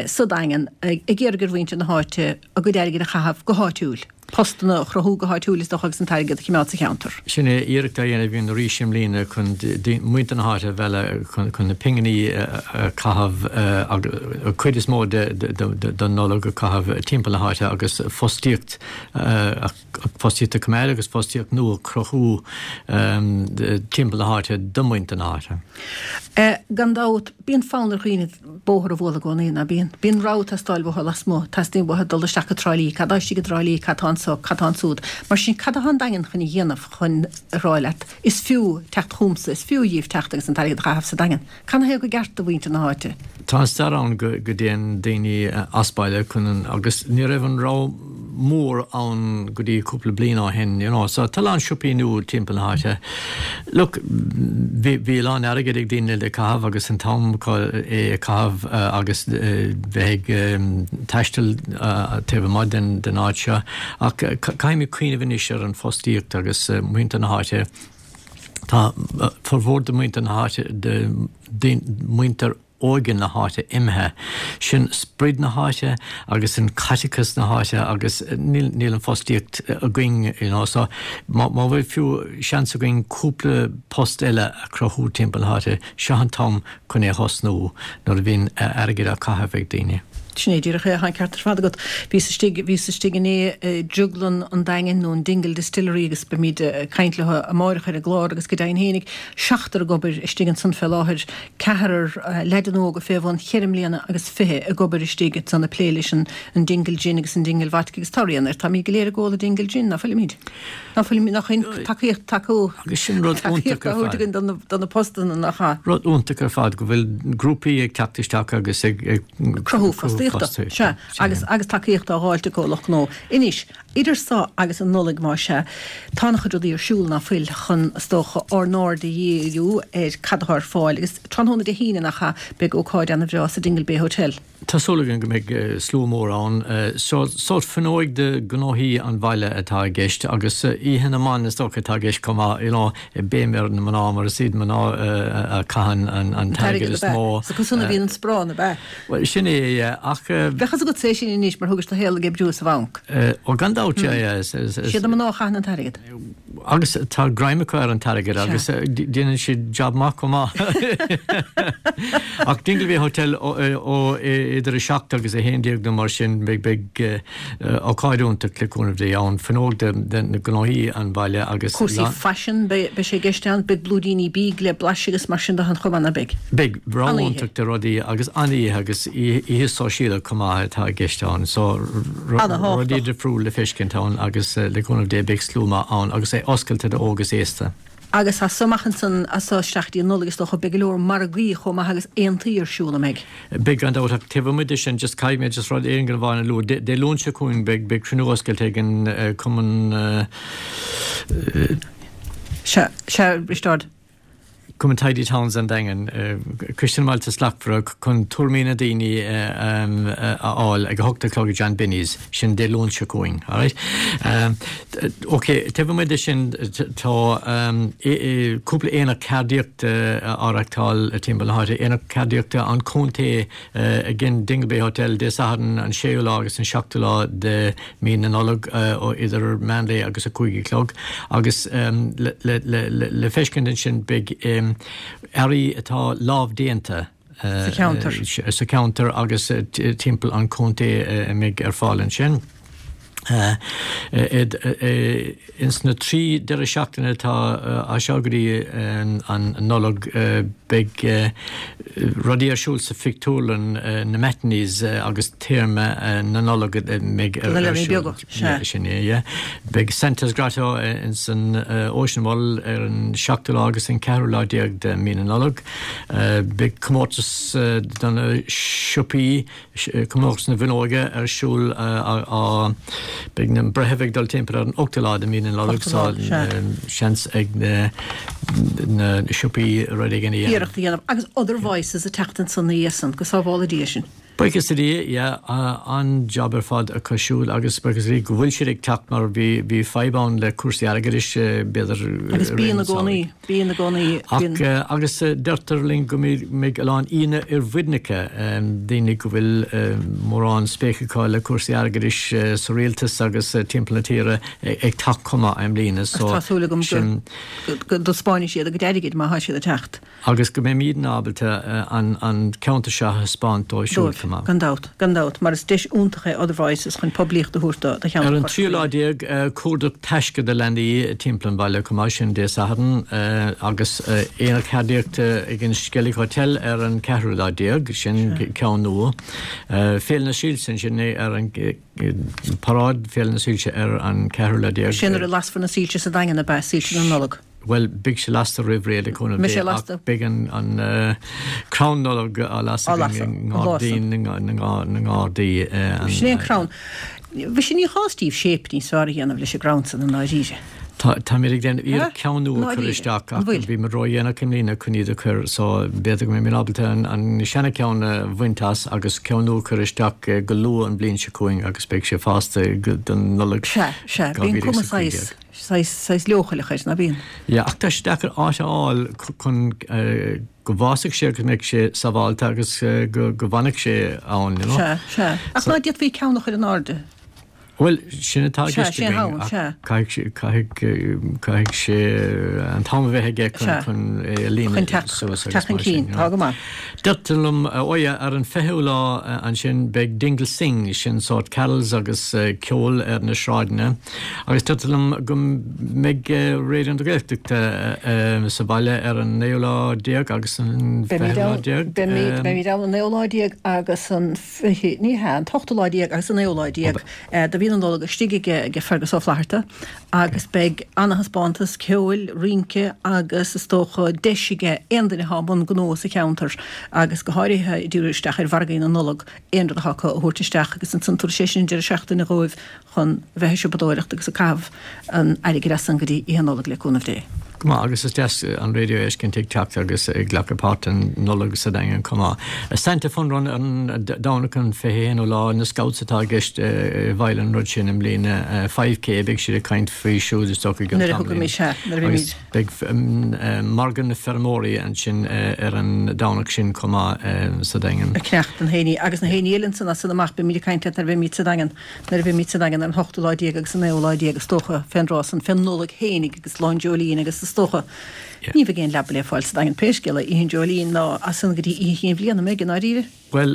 sa Daingean ag iarraidh ar mhuintir na háite a gcuid airgid a chaitheamh go háitiúil, postanna a chruthú go háitiúil is dócha agus an t-airgead a choimeád sa cheantar. Sin é iarracht á dhéanamh againn arís i mbliana chun muintir na háite a mhealladh chun na pinginí a chaitheamh, an chuid is mó den Nollaig a chaitheamh timpeall na háite agus fostaíocht fostaíocht a choimeád agus fostaíocht nua a chruthú timpeall na háite do mhuintir na háite. Gan dabht, bíonn fonn ar dhaoine bóthar a bhualadh i gcónaí, ná bíonn? Bíonn rogha ag teastáil uathu lasmuigh, teastaíonn uathu dul isteach go Trá Lí, cad tá istigh i dTrá Lí, cad tá anso, cad tá ansúd. Mar sin, cad atá an Daingean chun a dhéanamh chun a rá leat, is fiú teacht chugamsa, is fiú dhíbh teacht agus an t-airgead a chaitheamh sa Daingean? Canathaobh gur ceart do mhuintir na háite? Tá an stair ann go dtéann daoine as baile chun an, agus ní raibh an rogha mór ann go dtí cúpla bliain ó shin, you know, so tá a lán siopaí nua timpeall na háite. Look, bhí, bhí a lán airgid ag daoine le caitheamh agus an t-am acu é a chaitheamh agus bheith ag taisteal taobh amuigh den, den áit seo. Ach caithfimid cuimhneamh anois ar an bhfostaíocht agus muintir na háite. Tá formhór de mhuintir na háite, de, de, muintir óige na háite imithe. Sin sprid na háite agus an caiteachas na háite agus níl níl an fostaíocht againn you know, so má má bhfuil fiú seans againn cúpla post eile a chruthú timpeall na háite, seo an t-am chun é a thosnú nuair a bhíonn airgead á chaitheamh ag daoine. Sin é díreach é, tá an ceart ar fad agat. Bhíos istigh, bhíos istigh inné i Drioglann an Daingin nó an Dingle Distillery agus beimid ag caint leo amáireach ar an gclár agus go deimhin fhéinig, seachtar ag obair istigh ansan fé láthair, ceathrar leaideanna óga fé bhun cheithre mbliana agus fiche ag obair istigh ansan ag plé leis an an Dingle Gin agus an Dingle Vodka agus tá rian air, táimid go léir ag ól an Dingle Gin, ná fuilimid? Ná fuilimid, nach aon tacaíocht tacú, Agus sin rud tacaíocht iontach á ar thabhairt fad. againn do na, do na postanna nach ea? Rud iontach ar fad go bhfuil grúpaí ag teacht isteach agus ag, ag cruthú fostaíochta. Sea, agus agus tacaíocht á dháilt ag lucht gnó. Anois, idir so agus an Nollaig más ea, tá an-chuid rudaí ar siúl ná fuil chun, is dócha, ár n-aird a dhíriú ar cad atá ar fáil agus tráthnóna Dé hAoine nach ea, beidh ócáid ana-bhreá sa Dingle Bay Hotel. Tá súil againn go mbeidh slua mór ann. Sórt fuinneoig de ghnóthaí an bhaile atá i gceist agus oíche na mban is dócha atá i gceist chomh maith, you know, béim ar na mná mar is iad mná a chaitheann an t-airgead is mó. Is acusan a bhíonn an sparán, ab ea? Bhuel, sin é, yeah, ach. Bheadh fhios agatsa é sin anois mar thugais do shaol ag oibriú sa bhanc. Ó gan dabht, yeah, yeah. Is iad na mná a chaitheann an t-airgead. Agus tá greim acu ar an t-airgead agus déanann siad jab maith chomh maith. Ach Dingle Bay Hotel ó idir a seacht agus a haon déag nó mar sin beidh beidh ócáid iontach le cúnamh Dé ann, fuinneog de de na gnóthaí an bhaile agus Cúrsaí faisin, beidh beidh sé i gceist ann, beidh blúiríní bídh le blaiseadh agus mar sin de chomh maith, ná beidh? Beidh, rogha An-oíche. iontach de rudaí agus an-oíche agus oíche sóisialta chomh maith atá i gceist ann. So Ana-thábhachtach. rudaí difriúil le feiscint ann agus le cúnamh Dé beidh slua maith ann agus é oscailte do óg is aosta. Agus as so amach ansan, as so isteach dtí an Nollaig is dócha, beidh go leor margaí chomh maith agus aontaí ar siúl, an mbeidh? Beidh gan dabht ach taobh amuigh de sin just caithfidh mé just rud éigin amháin a lua. Dé Luain seo chugainn beidh beidh cruinniú oscailte ag an Cumann. Sea, sea, Risteárd. Cumann Tidy Towns an Daingin, Coiste na mBailte Slachtmhara chun tuairimí na daoine a fháil ag a hocht a chlog i John Binny's, sin Dé Luain seo chugainn, alright? Ok, taobh amuigh de sin tá cúpla aonach ceardaíochta á reachtáil timpeall na háite, Aonach Ceardaíochta an Chontae ag an Dingle Bay Hotel Dé Sathairn an séú lá agus an seachtú lá de mí na Nollag ó idir meán lae agus a cúig a chlog agus le feiscint ansin beidh earraí atá lámhdéanta Sa cheantar. sa cheantar agus timpeall an chontae a mbeidh ar fáil ansin. Ins na trí deireadh seachtaine atá as seo go dtí an Nollaig beidh rudaí ar siúl sa phictiúrlann, na matinees agus téarma na Nollag a mbeidh ar siúl. Sin é, yeah. Beidh Santa's Grotto ins an Ocean Mall ar an seachtú lá agus an ceathrú lá déag de mí na Nollag. Beidh comórtas do na siopaí, Comórtas na bhFuinneoige ar siúl á Beidh na breithimh ag dul timpeall ar an ochtú lá de mhí na Nollag so seans ag na siopaí rud éigin a dhéanamh. Iarracht a dhéanamh. Agus Other Voices ag teacht ansan ina dhiaidh san, go sábhála Dia sinn. Buíochas le Dia, yeah, an-jab ar fad acu siúd agus buíochas le Dia go bhfuil siad ag teacht mar bhí bhí fadhb ann le cúrsaí airgeadais b'fhéidir Agus i rith bíonn an i gcónaí, tsamhraidh. bíonn i gcónaí, Ach bíonn. agus deirtear linn go mbeidh a lán aíonna oirmhinneacha, daoine go bhfuil mórán spéis acu le cúrsaí airgeadais sa rialtas agus timpeall na tíre ag teacht chomh maith i mbliana Agus so tá súil agam go sin. go dtaispeánfaidh siad a gcuid airgid má thá siad ag teacht. Agus go mbeimidne ábalta an ceantar seo a thaispeáint dóibh siúd Dóibh, chomh maith. gan dabht, gan dabht, mar is deis iontach é Other Voices chun poiblíocht a thabhairt do do Ar cheantar an Chorca tríú lá Dhuibhne. déag, cuardach taisce do leanaí timpeall an bhaile chomh maith, sin Dé Sathairn, agus aonach ceardaíochta ag an Skellig Hotel ar an ceathrú lá déag, sin ceann nua. Féile na Soilse ansin ar an paráid Féile na Soilse ar an ceathrú lá déag. Sin nuair a lasfar na soilse sa Daingean, ab ea, soilse na Nollag. Bhuel, beidh sé lasta roimh ré le cúnamh Beidh Dé sé lasta. ach beidh an an crann Nollag á Á lasadh lasadh, i an lá san. ngairdín na nGardaí. Sin é an crann. Bhí sé ní chás díobh shape níos fearr a dhéanamh leis an gcrann san i ndáiríre. Tá táimid ag déanamh iarracht ceann nua a chur isteach ach bhí muid ródhéanach i mbliana chun iad a chur so b'fhéidir go mbeidh mé ábalta an an seana-cheann a bhaint as agus ceann nua a chur isteach go luath an bhliain seo chugainn agus beidh sé fásta don Nollaig Sea, sea, dhá bíonn mhíle cuma is a cúig saghas, déag. saghas, saghas leochaileach air, ná bíonn? Yeah, ach tá sé deacair áit a fháil chun go bhfásfaidh sé agus go mbeidh sé sábháilte agus go go bhfanfaidh sé ann, you know. Sea, sea. Ach So. ná d'fhéadfaí ceann a chur in airde? Bhuel, sin atá i Sea, gceist sin againn ann, ach sea. caithfidh caithfidh caithfidh sé an t-am a bheith aige chun Sea. chun é a Chun líonadh teacht suas agus teacht chun mar sin, cinn, you tá know. go maith. Deirtear liom, oh yeah, ar an fichiú lá ansin beidh Dingle Sing, sin sórt carols agus ceol ar na sráideanna agus deirtear liom go mbeidh Raidió na Gaeltachta sa bhaile ar an naoú lá déag agus an Beimid fichiú lá ann, déag. beimid, beimid ann an naoú lá déag agus an fiche, ní hea, an t-ochtú lá déag agus an naoú lá déag. De mhí na Nollag istigh ag Fergus Ó Flatharta agus beidh ana-thaispeántas ceoil, rince agus is dócha deis aige aon duine atá i mbun gnó sa cheantar agus go háirithe ag díriú isteach ar mhargaí na Nollag aon rud atá acu a thabhairt isteach agus ansan tabharfaidh sé sin deireadh seachtaine dhóibh chun bheith ag siopadóireacht agus ag caitheamh an airgid as san go dtí Oíche Nollag le cúnamh Dé. Go maith, agus is deas an raidió a fheiscint ag teacht agus ag glacadh páirt an Nollaig sa Daingean chomh maith. Santa Fun Run ar an Domhnach an fiche haonú lá, na Scouts atá i gceist i bhfeighil an rud sin i mbliana, five K, beidh siad ag caint faoi siúd is dócha i gcionn Nuair a tamaillín. thugaimid, sea, nuair a Agus bhímid. beidh margadh na feirmeoirí ansin ar an Domhnach sin chomh maith sa Daingean. Ag cneacht an héiní agus na héinní eile ansan as san amach, beimid ag caint leat nuair a bheimid sa Daingean, nuair a bheimid sa Daingean ar an hochtú lá déag agus an naoú lá déag is dócha, fén dtráth san, fén Nollaig fhéinig agus Lá an Dreoilín agus is dócha, ní bheidh aon leaba le fáil sa Daingean pé scéal é, Oíche an Dreoilín ná as san go dtí Oíche Chinn Bhliana, an mbeidh, i ndáiríre? Bhuel,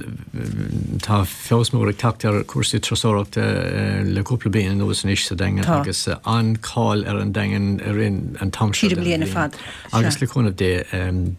tá feabhas mór ag teacht ar chúrsaí turasóireachta le cúpla bliain anuas anois sa Daingean Tá. agus an-cháil ar an Daingean i rith an t-am seo Tríd an den mbliain ar bhliain. fad, Agus sea. le cúnamh Dé,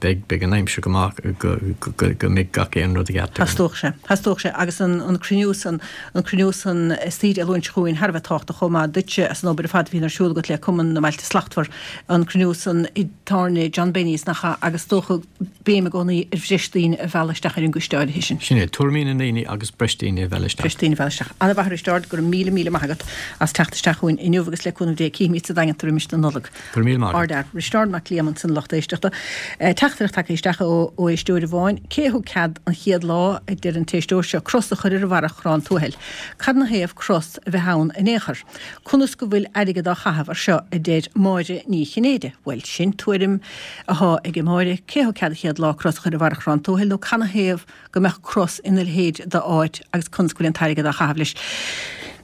beidh, beidh an aimsir go maith go, go, go mbeidh gach aon rud i gceart againn. Theastódh sé, theastódh sé agus an, an cruinniú san, an cruinniú san istoíche Dé Luain seo chugainn thar a bheith tábhachtach chomh maith duitse as an obair ar fad a bhíonn ar siúl agat le Cumann na mBailte Slachtmhar, an cruinniú san i dtábhairne John Benny's nach ea agus is dócha béim i gcónaí ar bhreis daoine a mhealladh isteach ar an gcoiste áirithe sin. Sin é, tuairimí na ndaoine agus breis daoine a mhealladh isteach. Breis daoine a mhealladh isteach. Ana-mhaith a Risteárd, go raibh míle míle maith agat as teacht isteach chugainn inniu agus le cúnamh Dé cífimid sa Daingean tú roimis na Nollag. Go raibh míle maith agat. Ardfhear. Risteárd Mac Liam ansan lucht éisteachta. Teachtaireacht tagtha isteach ó ó éisteoir amháin. Cé a thug cead an chéad lá, a deir an t-éisteoir seo, cros a chur ar bharra Chrann Tuathail? Cad 'na thaobh cros a bheith ann in aon chor? Conas go bhfuil airgead á chaitheamh ar seo, a deir Máire Ní Chinnéide. Bhuel, sin tuairim athá ag Máire. Cé a thug cead an chéad lá cros a chur ar bharra Chrann Tuathail nó cad 'na thaobh go mbeadh cros ina leithéid d'áit agus conas go bhfuil an t-airgead á chaitheamh leis?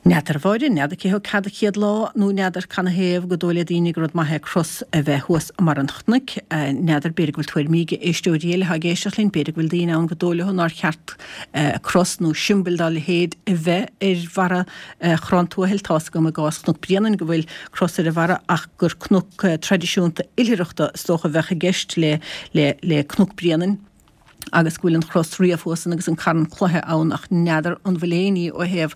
N'fheadar, a Mháire, n'fheadar cé thug cead an chéad lá nó n'fheadar cad 'na thaobh go dóigh le daoine gur rud maith é cros a bheith thuas i mbarr an chnoic. N'fheadar, b'fhéidir go bhfuil tuairimí ag éisteoirí eile atá ag éisteacht linn, b'fhéidir go bhfuil daoine ann go dóigh leo nár cheart cros nó siombail dá leithéid a bheith ar bharra Chrann Tuathail. Tá's agam i gcás Chnoc Bréanainn go bhfuil cros ar a bharra ach gur cnoc traidisiúnta oilithreachta is dócha a bheadh i gceist le le le Cnoc Bréanainn agus go bhfuil an chros riamh thuas ann agus an carn cloiche ann ach n'fheadar an bhfuil aon ní ó thaobh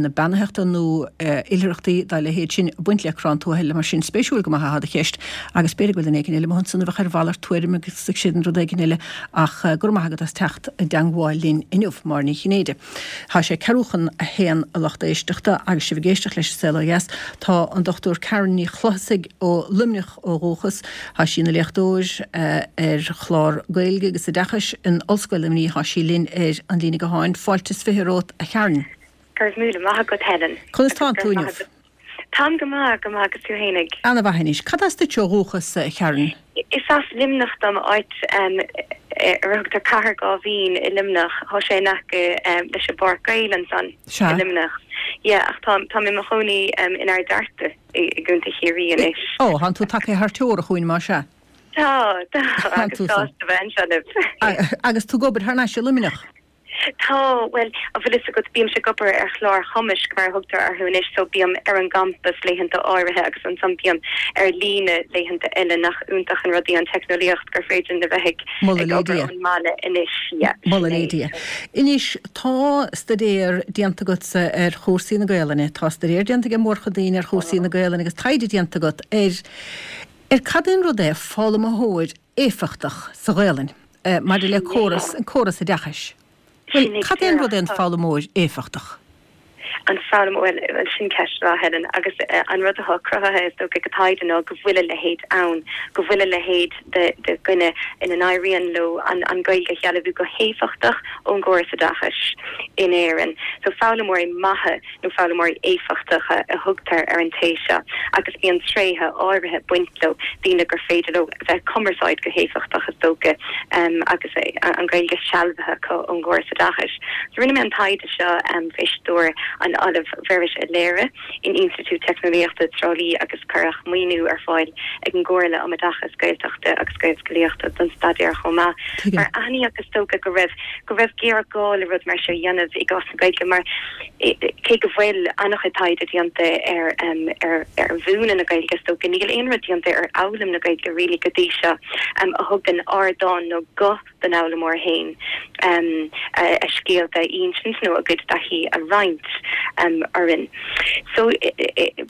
na beannaitheachta nó oilithreachtaí dá leithéid sin ag baint le Crann Tuathail mar sin. Spéisiúil go maith athá do cheist agus b'fhéidir go bhfuil duine éigin eile amuigh ansan a bheadh ar mhalairt tuairim agus ag sin rud éigin eile ach go raibh maith agat as teacht i dteangmháil linn inniu, Máire Ní Chinnéide. Tá sé ceathrú chun a haon a lucht éisteachta agus sibh ag éisteacht leis an Saol Ó Dheas. Tá an Dochtúir Karen Ní Chlochasaigh ó Luimneach ó dhúchas. Tá sí ina léachtóir ar chlár Gaeilge agus Oideachais in Ollscoil Luimnigh. Tá sí linn ar an líne gutháin. Fáilte is fiche romhat, a Karen. Go raibh míle maith agat, Helen. Conas tánn tú inniu? Táim go maith, go maith, agus tú fhéinig? Ana-mhaith anois. Cad as duit ó dhúchas, a Karen? Is as Luimneach dom, áit ar a thugtar Cathair Gáibhín i Luimneach. Tá sé in aice leis an bPáirc Gael ansan Sea. i Luimneach. Yeah, ach tá tá mé i mo chónaí in Ard Fhearta i i gContae Chiarraí anois. Ó, thánn tú tagtha thar teora chugainn, más ea? Tá, tá, Thánn agus tú san. sásta bheith anseo libh. Agus tú ag obair thar n-ais i Luimneach? Tá, bhuel, an bhfuil fhios agat, bímse ag obair ar chláir chumaisc, mar a thugtar orthu anois, so bím ar an gcampas laethanta áirithe agus ansan bím ar líne laethanta eile, nach iontach an rud í an teicneolaíocht gur féidir linn a bheith ag Moladh ag le obair Dia. ón mbaile anois, yeah, sin Moladh le é. Dia. Anois, tá staidéar déanta agatsa ar chúrsaí na Gaelainne, tá staidéar déanta ag mórchuid daoine ar chúrsaí na Gaelainne agus taighde déanta agat ar ar cad é an rud é foghlaimeoir éifeachtach sa Ghaelainn maidir le Sin é. córas, an córas oideachais. Bhuel, Sin é cad é an rud é an díreach. foghlaimeoir éifeachtach? An foghlaim bhuel bhuel sin ceist mhaith Helen agus an rud atá cruthaithe is dócha ag an taighde ná go bhfuil a leithéid ann, go bhfuil a leithéid de de dhuine ina n-éiríonn leo an an Ghaeilge a shealbhú go héifeachtach ón gcóras oideachais in Éirinn. So foghlaimeoirí maithe nó foghlaimeoirí éifeachtacha a thugtar ar an té seo agus bíonn tréithe áirithe ag baint leo, daoine gur féidir leo bheith ag cumarsáid go héifeachtach is dócha agus an Ghaeilge sealbhaithe acu ón gcóras oideachais. So rinne mé an taighde seo faoi stiúir an Ollaimh Mhuiris Ó Laoire in Institiúid Teicneolaíochta Trá Lí agus cuireadh maoiniú ar fáil ag an gComhairle um Oideachas Gaeltachta agus Gaelscolaíochta don staidéar chomh maith. Mar aithníodh is dócha go raibh go raibh géarghá le rud mar seo a dhéanamh i gcás na Gaeilge mar cé go bhfuil an-chuid taighde déanta ar ar ar mhúineadh na Gaeilge is dócha níl aon rud déanta ar fhoghlaim na Gaeilge really go dtí seo a thugann ardán nó guth don fhoghlaimeoir féin a scéalta a insint nó a gcuid taithí a roinnt orainn. So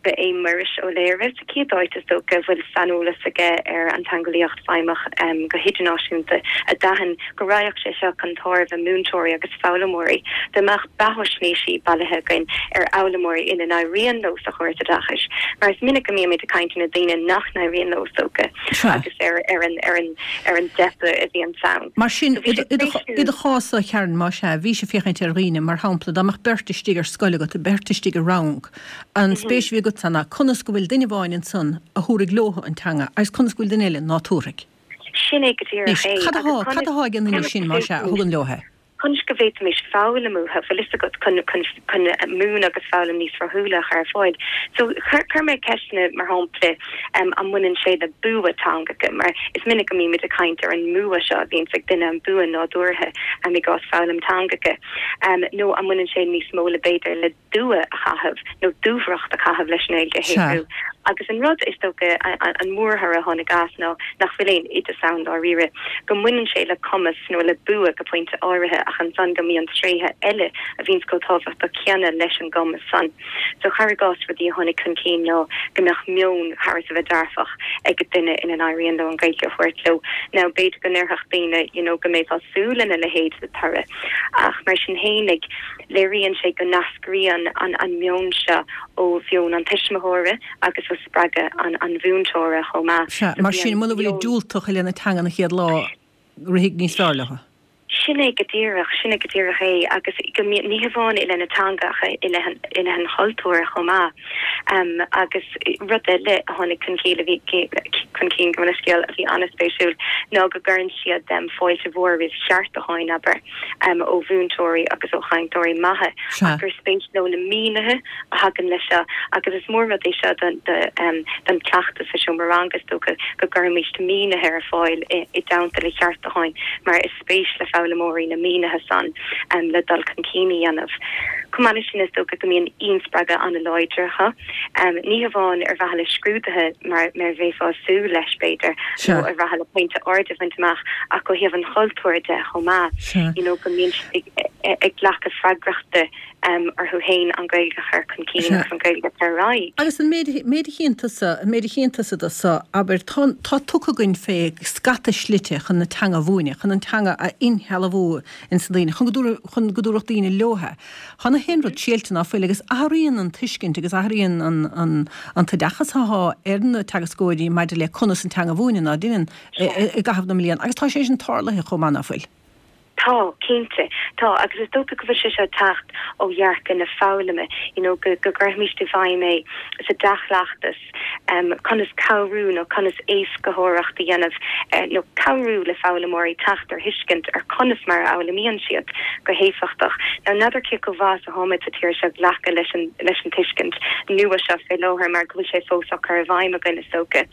ba é Muiris Ó Laoire sa chéad áit is dócha a bhfuil saineolas aige ar an teangeolaíocht feidhmeach go hidirnáisiúnta a d'aithin go raghadh sé seo chun tairbhe múinteoirí agus foghlaimeoirí dá mbeadh beathaisnéisí bailithe againn ar fhoghlaimeoirí ina n-éiríonn leo sa chóras oideachais mar is minic go mbímid ag caint ar na daoine nach n-éiríonn leo is dócha agus ar ar an ar an ar an dteipeadh a bhíonn ann. Mar sin, i do chás, a Karen, más ea, bhís ag féachaint ar dhaoine, mar shampla, dá mbeadh beirt istigh ar scoil agat, beirt istigh i rang, an spéis a bhí agatsa ná conas go bhfuil duine amháin ansan a thabharfaidh leo an teanga agus conas go bhfuil duine eile ná tabharfaidh. Sin é go díreach Anois, é. cad Agus atá, cad conas, atá ag an nduine conas sin, go más ea, a bhféadfaimis thugann leo é? Conas go bhféadfaimis foghlaim uathu, bhfuil fhios agat, chun, chun, chun múineadh agus foghlaim níos rathúla a chur ar fáil. So, chuir, chuir mé ceisteanna, mar shampla, um, an mbaineann sé le bua teangacha, mar is minic go mbímid ag caint ar an mbua seo a bhíonns ag duine, an bua nádúrtha, um, i gcás foghlaim teangacha, um, nó an mbaineann sé níos mó le b'fhéidir le dua a chaitheamh nó dúthracht a chaitheamh leis an nGaeilge a Sea. shaibhriú. Agus an rud is dócha an mórthoradh a tháinig as ná nach bhfuil aon oideas ann dáiríre, go mbaineann sé le cumas nó le bua go pointe áirithe ach ansan go mbíonn tréithe eile a bhíonns chomh tábhachtach céanna leis an gcumas san. So cuir i gcás rudaí a tháinig chun cinn ná go mbeadh meon thar a bheith dearfach ag duine ina n-éiríonn leo an Ghaeilge a thabhairt leo. Now b'fhéidir go ndéarfadh daoine you know go mbeifeá ag súil lena leithéid de thoradh ach mar sin fhéinig léiríonn sé go n-eascraíonn an an meon seo ó mheon an tuismitheora agus ó spreagadh an an mhúinteora chomh maith. Sea, So mar bhí sin, an muna bhfuil meon. diúltach i leith na teanga an chéad lá, rithfidh níos fearr leo. Sin é go díreach, sin é go díreach é agus go mbíonn ní hamháin i leith na teanga ach i leith an i leith an chultúir chomh maith. Um, agus rud eile a tháinig chun cinn a bhí chun cinn go scéal a bhí an-spéisiúil ná go gcuireann siad um, fáilte mhór roimh cheartúcháin abair um, ó mhúinteoirí agus ó chainteoirí maithe Sea. gur spéis leo na mínithe a thagann leis seo agus is mór rud é seo don um, don chleachtas sa seomra ranga is dócha go gcuirimid mínithe ar fáil i, i dteannta le ceartúcháin mar is spéis le foghlaimeoirí na mínithe san um, le dul chun cinn a dhéanamh. Chomh maith leis sin is dócha go mbíonn inspreagadh an-láidir acu. Um, ní hamháin ar mhaithe le scrúduithe mar mar bheifeá ag súil leis b'fhéidir Sea. nó ar mhaithe le pointe ard a bhaint amach ach ó thaobh an chultúir de chomh maith. Sea. You know, go mbíonn siad ag, ag, ag glacadh freagrachta um, orthu féin an Ghaeilge a chur chun cinn Sea. agus an Ghaeilge a chur ar aghaidh. Agus an méid méid a chíonn tusa, an méid a chíonn tusa de so, abair tá tá tugtha againn fé scata slite chun na teanga a mhúineadh, chun an teanga a inshealbhú ins na daoine, chun go dtabhar- chun go dtabharfadh daoine leo é. Tá na haon rud séilte ná fuil agus athraíonn an tuiscint agus athraíonn an, an, an t-oideachas atá ar na teagascóirí maidir le conas an teanga a mhúineadh ná déanann i i gcaitheamh na mblian, agus tá sé sin tarlaithe chomh maith ná fuil. Tá cinnte tá agus is dócha go bhfuil sé seo teacht ó dhearcadh na foghlama you know, go go gcuirfimid i bhfeidhm é sa dea-chleachtas um, conas cabhrú nó conas éascaitheoireacht a dhéanamh uh, nó cabhrú le foghlaimeoirí teacht ar thuiscint ar conas mar a fhoghlaimíonn siad go héifeachtach. Now n'fheadar cé chomh maith is atáimid sa tír seo glacadh leis an leis an tuiscint nua seo fé láthair mar go bhfuil sé fós á chur i bhfeidhm againn is dócha.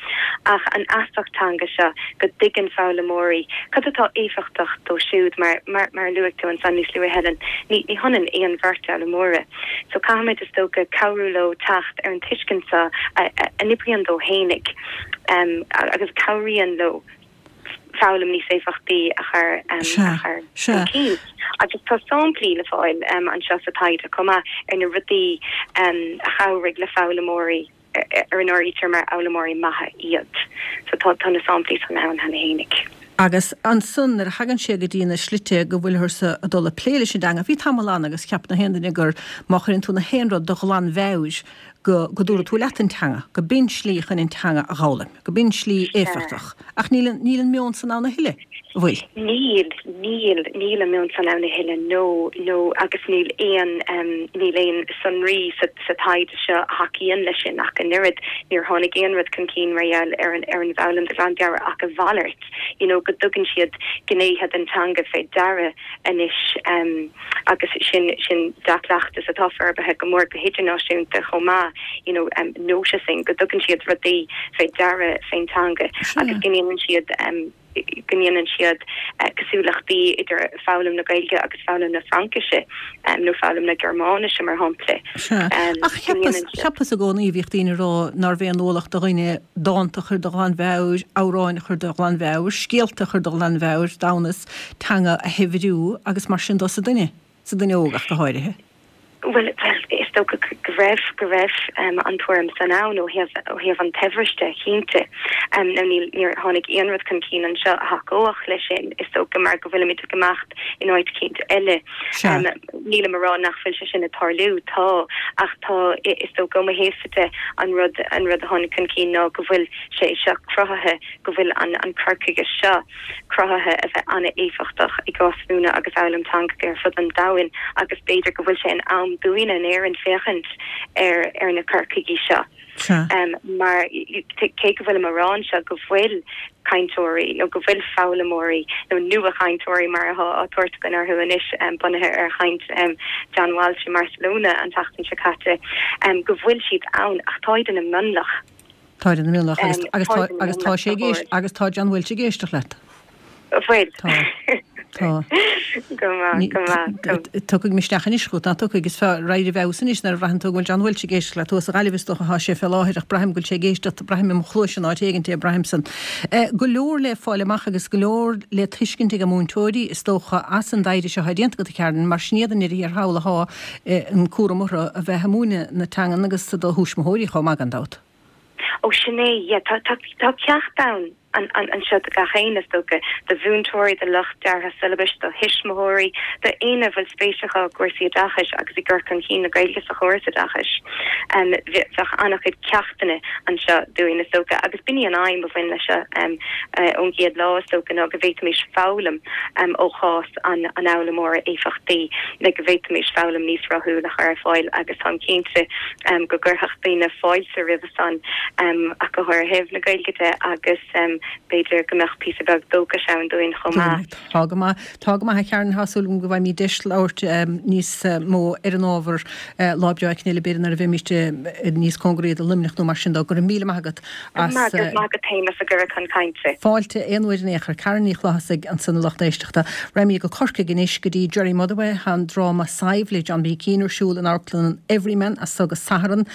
Ach an fheasacht teanga seo go dtuigeann foghlaimeoirí cad atá éifeachtach dóibh siúd mar mar mar luaigh tú ansan níos luaithe Helen ní ní hionann aon bheirt fhoghlaimeoirí. So caithfimid is dócha cabhrú leo teacht ar an tuiscint seo a a n-oibríonn dóibh fhéinig um, agus cabhraíonn leo foghlaim níos éifeachtaí a chur um, Sea, a chur sea. chun cinn. Agus tá samplaí le fáil um, anseo sa taighde chomh maith ar na rudaí um, a chabhraigh le foghlaimeoirí ar ar an áirítear mar fhoghlaimeoirí maithe iad. So tá tá na samplaí san ann cheana fhéinig. Agus ansan nuair a thagann sé go dtí na slite go bhfuilthearsa ag dul a plé leis an dteanga, bhí tamall ann agus cheap na haon duine gur má chuireann tú na haon rud de ghlanmheabhair go go dtabharfaidh tú leat an teanga, go b'in slí chun an teanga a dh'fhoghlaim, go b'in slí éifeachtach. Ach níl an níl an meon san ann a thuilleadh, an bhfuil? Níl, níl, níl an meon san ann a thuilleadh, no, no, agus níl aon, níl aon sonraí sa sa taighde seo a thacaíonn leis sin ach an oiread. Níor tháinig aon rud chun cinn mar gheall ar an ar an bhfoghlaim de ghlanmheabhair ach a mhalairt. you know go dtugann siad gnéithe den teanga fé deara anois agus sin sin dea-chleachtas atá forbartha go mór go hidirnáisiúnta chomh maith you know noticing go dtugann siad rudaí fé deara fén teanga agus go ndéanann siad go ndéanann siad cosúlachtaí idir foghlaim na Gaeilge agus foghlaim na Fraincise nó foghlaim na Gearmáinise mar shampla. Sea. Ach cheapas, cheapas i gcónaí, bhíodh daoine ag rá nárbh aon ualach do dhuine dánta a chur de ghlanmheabhair, amhráin a chur de ghlanmheabhair, scéalta a chur de ghlanmheabhair, d'fhonn teanga a shaibhriú agus mar sin dó sa duine, sa duine óg ach go háirithe. Bhuel, bhuel, is dócha go raibh, go raibh an tuairim san ann ó thaobh, ó thaobh an tsaibhris de, cinnte. Now níl, níor tháinig aon rud chun cinn anseo a thacódh leis sin, is dócha mar go bhfuilimid ag imeacht in áit eicínt eile. Nílim a rá nach bhfuil sé sin ag tarlú, tá, ach tá, is dócha ó mo thaobhsa de, an rud, an rud a tháinig chun cinn ná go bhfuil sé seo cruthaithe, go bhfuil an, an cur chuige seo cruthaithe a bheith an-éifeachtach i gcás mhúineadh agus fhoghlaim teangacha ar fud an domhain agus b'fhéidir go bhfuil sé in am dúinne in Éirinn féachaint ar, ar na cur chuigí seo. Mar cé go bhfuilim a rá anseo go bhfuil cainteoirí nó go bhfuil foghlaimeoirí nó nua-chainteoirí mar atá á tabhairt againn orthu anois bunaithe ar chaint John Walsh i mBarcelona an tseachtain seo caite, go bhfuil siad ann ach táid ina mionlach. Táid ina mionlach agus tá sé ag éisteacht agus tá John Walsh ag éisteacht leat. Bhfuil. Tá. Tá. Go maith, go maith. Tiocfaidh misneach anois chugat, ná tiocfaidh? Is fearr éirí i bhfeabhas anois nuair a bhraitheann tú go bhfuil John Walsh ag éisteacht leat. Thuas sa Ghaillimh is dócha atá sé fé láthair ach braithim go bhfuil sé ag éisteacht, braithim i mo chluais in áit éigint é, braithim san. Go leor le fáil amach agus go leor le tuiscint ag múinteoirí is dócha as an dtaighde seo atá déanta agat a Karen, mar sin iad i ndeireadh thiar thall athá an cúram orthu a bheith ag múineadh na teangan agus do thuismitheoirí chomh maith gan dabht. Ó sin é, yeah, tá, tá, tá ceacht ann anseo do gach éinne, is dócha, do mhúinteoirí, do lucht deartha siollabais, do thuismitheoirí, do éinne a bhfuil spéis acu i gcúrsaí oideachais agus i gcur chun cinn na Gaeilge sa chóras oideachais. Bheadh an-chuid ceachtanna anseo dúinn, is dócha, agus b'in í an aidhm a bhain leis seo ón gcéad lá, is dócha, ná go bhféadfaimis foghlaim ó chás an fhoghlaimeora éifeachtaí le go bhféadfaimis foghlaim níos rathúla a chur ar fáil agus táim cinnte go gcuirfeadh daoine fáilte roimhe san ach go háirithe ó thaobh na Gaeilge de agus b'fhéidir go mbeadh píosa beag dóchais ann dúinn chomh maith. Tá go maith. Tá go maith a Karen, tá súil agam go bhfaighimid deis labhairt níos mó ar an ábhar lá breá éicint eile b'fhéidir nuair a bheimid níos cóngaraí do Luimneach nó mar sin dó. Go raibh míle maith agat as. Go raibh maith agat féin as an gcuireadh chun cainte. Fáilte aon uair in aon chor. Karen Ní Chlothasaigh ansan a lucht éisteachta. Raghaimid go Corcaigh anois go dtí Gerry Motherway. Tá an dráma Sadhbh le John B. Keane ar siúl in Amharclann an Everyman as so go Satharn.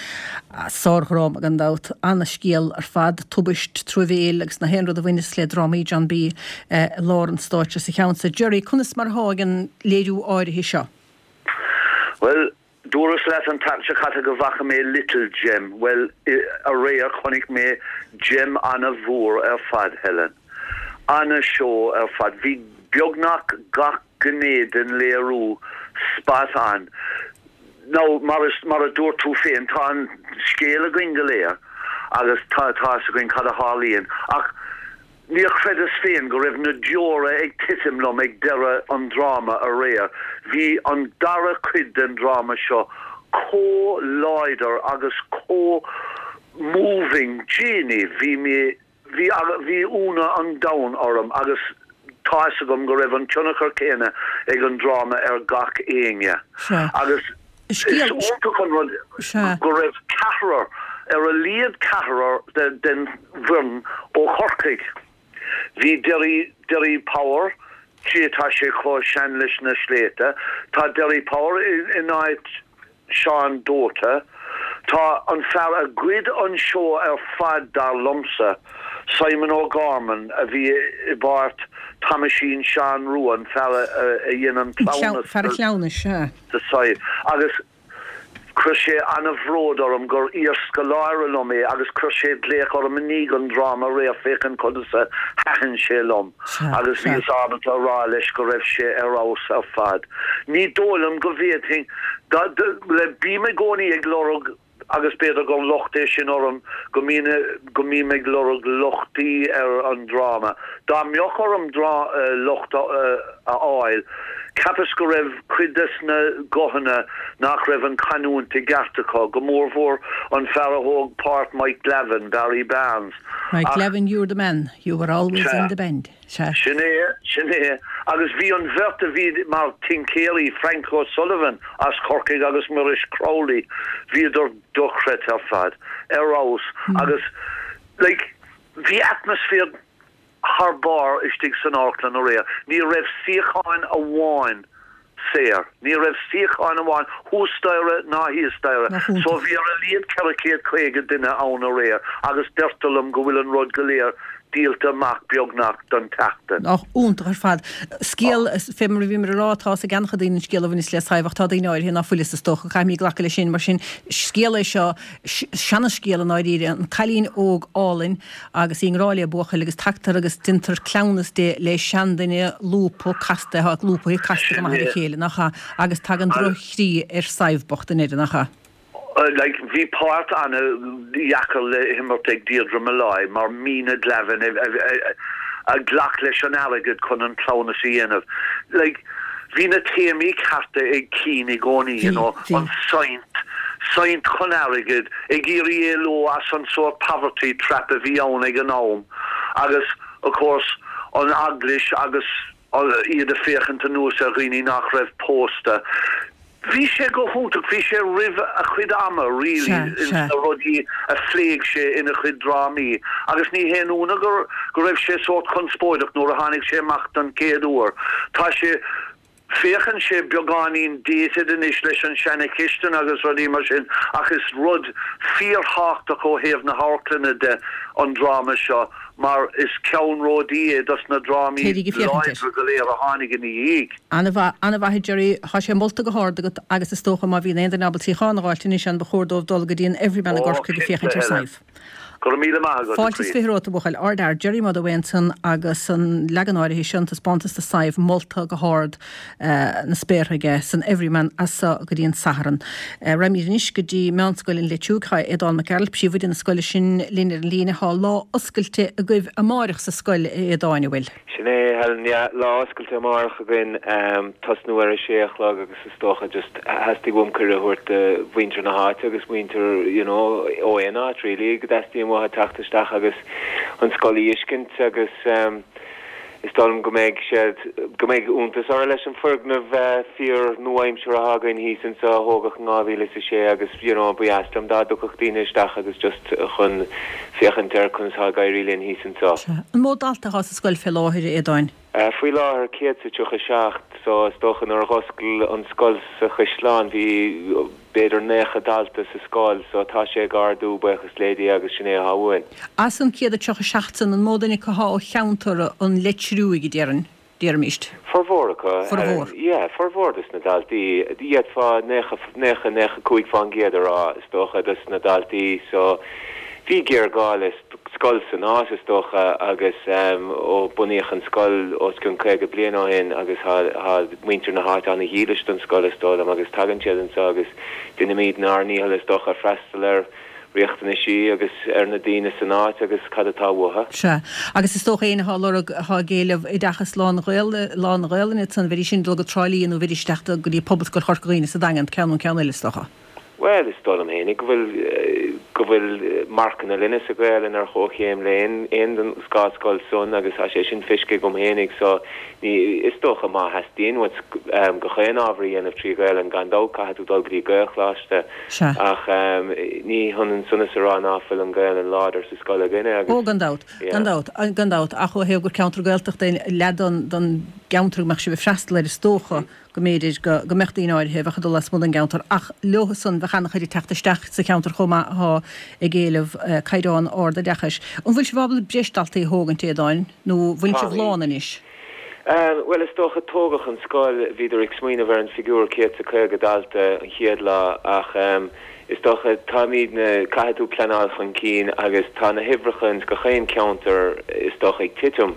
Sárdhráma gan dabht. Ana-scéal ar fad. Tubaist, truamhéil agus na haon rud a bhaineas le drámaí John B. i lár an stáitse sa cheann so. Gerry, conas mar atá ag an léiriú áirithe seo? Bhuel, dúras leat an tseachtain seo caite go bhfaca mé Little Gem. Bhuel, aréir chonaic mé gem ana-mhór ar fad, Helen. Ana-seó ar fad. Bhí beagnach gach gné den léiriú spot on. Now, mar is, mar a dúirt tú féin, tá an scéal againn go léir agus tá, tá fhios againn cad a tharlaíonn ach níor chreideas féin go raibh na deora ag titim liom ag deireadh an dráma aréir. Bhí an dara cuid den dráma seo chomh láidir agus chomh moving. Jeannie, bhí mé, Bhí, bhí ionadh an domhain orm agus tá fhios agam go raibh an tionchar céanna ag an dráma ar gach éinne. Agus is iontach an rud go raibh ceathrar, ar a laghad ceathrar den bhfoireann ó Chorcaigh. Bhí Derry, Derry Power, gee tá sé chomh sean leis na sléibhte, tá Derry Power in áit Seán Dota, Tá an fear a ghoid an seó ar fad dar liomsa, Simon O'Gorman a bhí i bpáirt Thomaisín Seán Rua, an fear a dhein an cleamhnas Fear an chleamhnais, sea. do Sadhbh. Agus Chuir sé ana-bhród orm gur iarscoláire liom é agus chuir sé glaoch orm i ndiaidh an dráma aréir féachaint conas a thaitin sé liom agus bhíos ábalta a rá leis go raibh sé ar fheabhas ar fad. Ní dóigh liom go bhféadfainn, bím i gcónaí ag lorg agus b'fhéidir gur locht é sin orm go mbím go mbím ag lorg lochtaí ar an dráma. Dá mbeadh orm locht a fháil, cheapas go raibh cuid des na guthanna nach raibh an chanúint i gceart acu, go mórmhór an fear a thóg páirt Mike Glavin, Barry Barnes. Mike Glavin, you're the man, you were always in the band. Sea. Sin é, sin é. Agus bhí an bheirt a bhí mar tincéirí, Frank O'Sullivan as Corcaigh agus Muiris Crowley, bhíodar dochreidte ar fad, ar fheabhas. Agus, like, bhí atmaisféar thar barr istigh san amharclann aréir. Ní raibh suíochán amháin saor. Ní raibh suíochán amháin thuas staighre ná thíos staighre. So bhí ar a laghad ceithre chéad caoga duine ann aréir agus deirtear liom go bhfuil an rud go léir díolta amach beagnach don tseachtain. Ach iontach ar fad. Scéal, fé mar a bhíomar a rá, tá a fhios ag an-chuid daoine an scéal a bhaineas le Sadhbh ach tá daoine áirithe ná fuil a fhios is dócha. Caithfimid glacadh leis sin. Mar sin, scéal é seo, seanascéal i ndáiríre, an cailín óg álainn agus í i ngrá le buachaill agus tagtar agus déantar cleamhnas di le seanduine lúbtha casta, atá lúbtha casta go maith ar a chéile, nach ea? Agus tagann droch-chroí ar Sadhbh bocht i ndeireadh, nach ea? Like, bhí páirt ana-dheacair le himirt ag Deirdre Molloy mar Mina Glavin a ghlac leis an airgead chun an cleamhnas a dhéanamh. Like, bhí na téamaí cearta ag Keane i gcónaí, you know, an saint, saint chun airgid, ag iarraidh éalú as an sórt poverty trap a bhí ann ag an am agus, of course, an eaglais agus iad ag féachaint anuas ar dhaoine nach raibh pósta. Bhí sé go hiontach, bhí sé roimh a chuid ama really ins na rudaí a phléigh sé ina chuid drámaí agus ní haon ionadh go go raibh sé sórt conspóideach nuair a tháinig sé amach don chéad uair. Tá sé, féachann sé beagáinín dated anois leis an seana-chistin agus rudaí mar sin ach is rud fíorthábhachtach ó thaobh na hamharclainne de an dráma seo mar is ceannródaí é dos na drámaí Téirí ag féachaint air. láidre go léir a tháinig ina dhiaidh. An-mhaith, an-mhaith a Gerry. Tá sé molta go hard agat agus is dócha má bhíonn aon duine ábalta suíochán a dh'fháilt anois ann ba chóir dóibh dul go dtí an Everyman i Ó, gCorcaigh ag cinnte, féachaint ar Helen. Sadhbh. Go raibh míle maith agat, a Fáilte is chroí. fiche romhat, a bhuachaill. Ardfhear, Gerry Motherway ansan agus an leagan áirithe seo, an taispeántas de Sadhbh molta go hard na spéartha aige san Everyman as seo go dtí an Satharn. Raghaimid anois go dtí Meánscoil an Leitriúigh. Tá Aodán Mac Gearailt, príomhoide na scoile sin, linn ar an líne. Tá lá oscailte agaibh amáireach sa scoil, a Aodáin, an bhfuil? Sin é, Helen, yeah, lá oscailte amárach againn, tosnú ar a sé a chlog agus is dócha just theastaigh uaim cuireadh a thabhairt do mhuintir na háite agus muintir, you know, ó aon áit really, go dteastaíonn uathu teacht isteach agus an scoil a fheiscint agus is dóigh liom go mbeidh siad, go mbeidh iontas orthu leis an foirgneamh fíor nua-aimseartha atá againn thíos anseo a thógadh in dhá mhíle is a sé agus you know ba dheas liom dá dtiocfadh daoine isteach agus just chun féachaint ar conas atá ag éirí linn thíos anseo. Sea. An mó dalta atá sa scoil fé láthair, a Aodáin? Faoi láthair céad is a tríocha seacht so is dócha nuair a dh'oscail an scoil sa Chaisleán bhí b'fhéidir naocha dalta sa scoil so tá sé ag ardú buíochas le Dia agus sin é atá uainn. As an céad a tríocha seacht san an mó duine acu atá ó cheantar an Leitriúigh a déarfainn, déarfaimíst? Formhór acu. Formhór. Yeah, formhór dos na daltaí. D'fhéadfá naocha, naocha, naocha cúig fán gcéad a rá is dócha dos na daltaí so bhí géarghá le scoil san áit is dócha agus ó bunaíodh an scoil os cionn caoga bliain ó shin agus tá muintir na háite ana-dhílis don scoil is dóigh liom agus tagann siad anseo agus déanaimid ár ndícheall is dócha freastal ar riachtanaisí agus ar na daoine san áit agus cad atá uathu. Sea. Agus is dócha éinne atá ag lorg, atá ag éileamh oideachas lán-Ghaelainne ansan, bheidís sin ag dul go Trá Lí nó bheidís isteach go dtí Pobalscoil Chorca Dhuibhne sa Daingean, ceann nó ceann eile is dócha. Bhuel, is dóigh liom fhéinig go bhfuil go bhfuil marcanna linne sa Ghaelainn ar chomhchéim le aon aon den dhá scoil san agus tá sé sin feicthe agam fhéinig so ní is dócha má theastaíonn uait gach aon ábhar a dhéanamh trí Ghaelainn gan dabht caithfidh tú dul go dtí Gaelcholáiste Sea. ach ní hionann san is a rá ná fuil an Ghaelainn láidir sa scoil againne agus Ó gan dabht, yeah. gan dabht, gan dabht ach ó thaobh gur ceantar Gaeltachta é leath den den gceantar go mbeadh sibh ag freastal air is dócha go mb'fhéidir go go mbeadh daoine áirithe a bheadh ag dul lasmuigh den gceantar ach leo san bheadh an-chuid ag teacht isteach sa cheantar chomh maith atá ag éileamh caighdeán ard oideachais. An bhfuil sibh ábalta breis daltaí a thógaint, a Aodáin, nó bhfuil sibh Táimid. lán anois? Bhuel, is dócha, tógadh an scoil, bhíodar ag smaoineamh ar an figiúr céad is a caoga dalta an chéad lá ach is dócha, táimidne, caithfidh tú pleanáil chun cinn agus tá na huimhreacha ins gach aon cheantar is dócha ag titim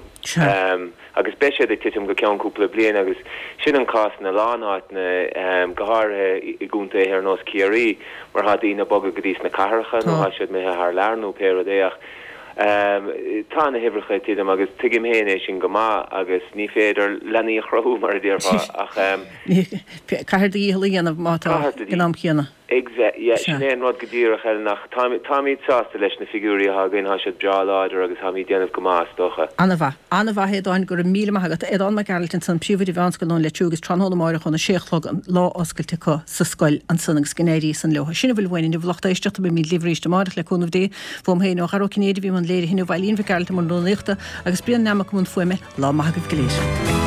agus beidh siad ag titim go ceann cúpla bliain agus sin an cás ina lán áiteanna, go háirithe i gcontaetha ar nós Ciarraí mar tá daoine ag bogadh go dtí sna cathracha nó tá siad imithe thar lear nó pé rud é ach Tá na huimhreacha ag titim agus tuigim féin é sin go maith agus ní féidir leanaí a chruthú mar a déarfá ach. Caithfear do dhícheall a dhéanamh má tá ag an am céanna. Yeah, sin é an rud go díreach Helen ach táimid sásta leis na figiúirí atá againn, tá siad breá láidir agus táimid ag déanamh go maith is dócha. An-mhaith. An-mhaith Aodáin, go raibh míle maith agat. Aodán Mac Gearailt ansan, Príomhoide Mheánscoil Nóin Leitriú agus tráthnóna amáireach óna sé a chlog an lá oscailte acu sa scoil ansan agus go n-éirí san leo. Sin a bhfuil uainn inniu a lucht éisteachta, beimid libh arís amáireach le cúnamh Dé. Uaim féin, ó Dhara Ó Cinnéide, a bhí i mbun léirithe inniu, Eileen Mhic Gearailt i mbun rúnaíochta agus Brian Nammock i mbun fuaime. Lá maith agaibh go léir.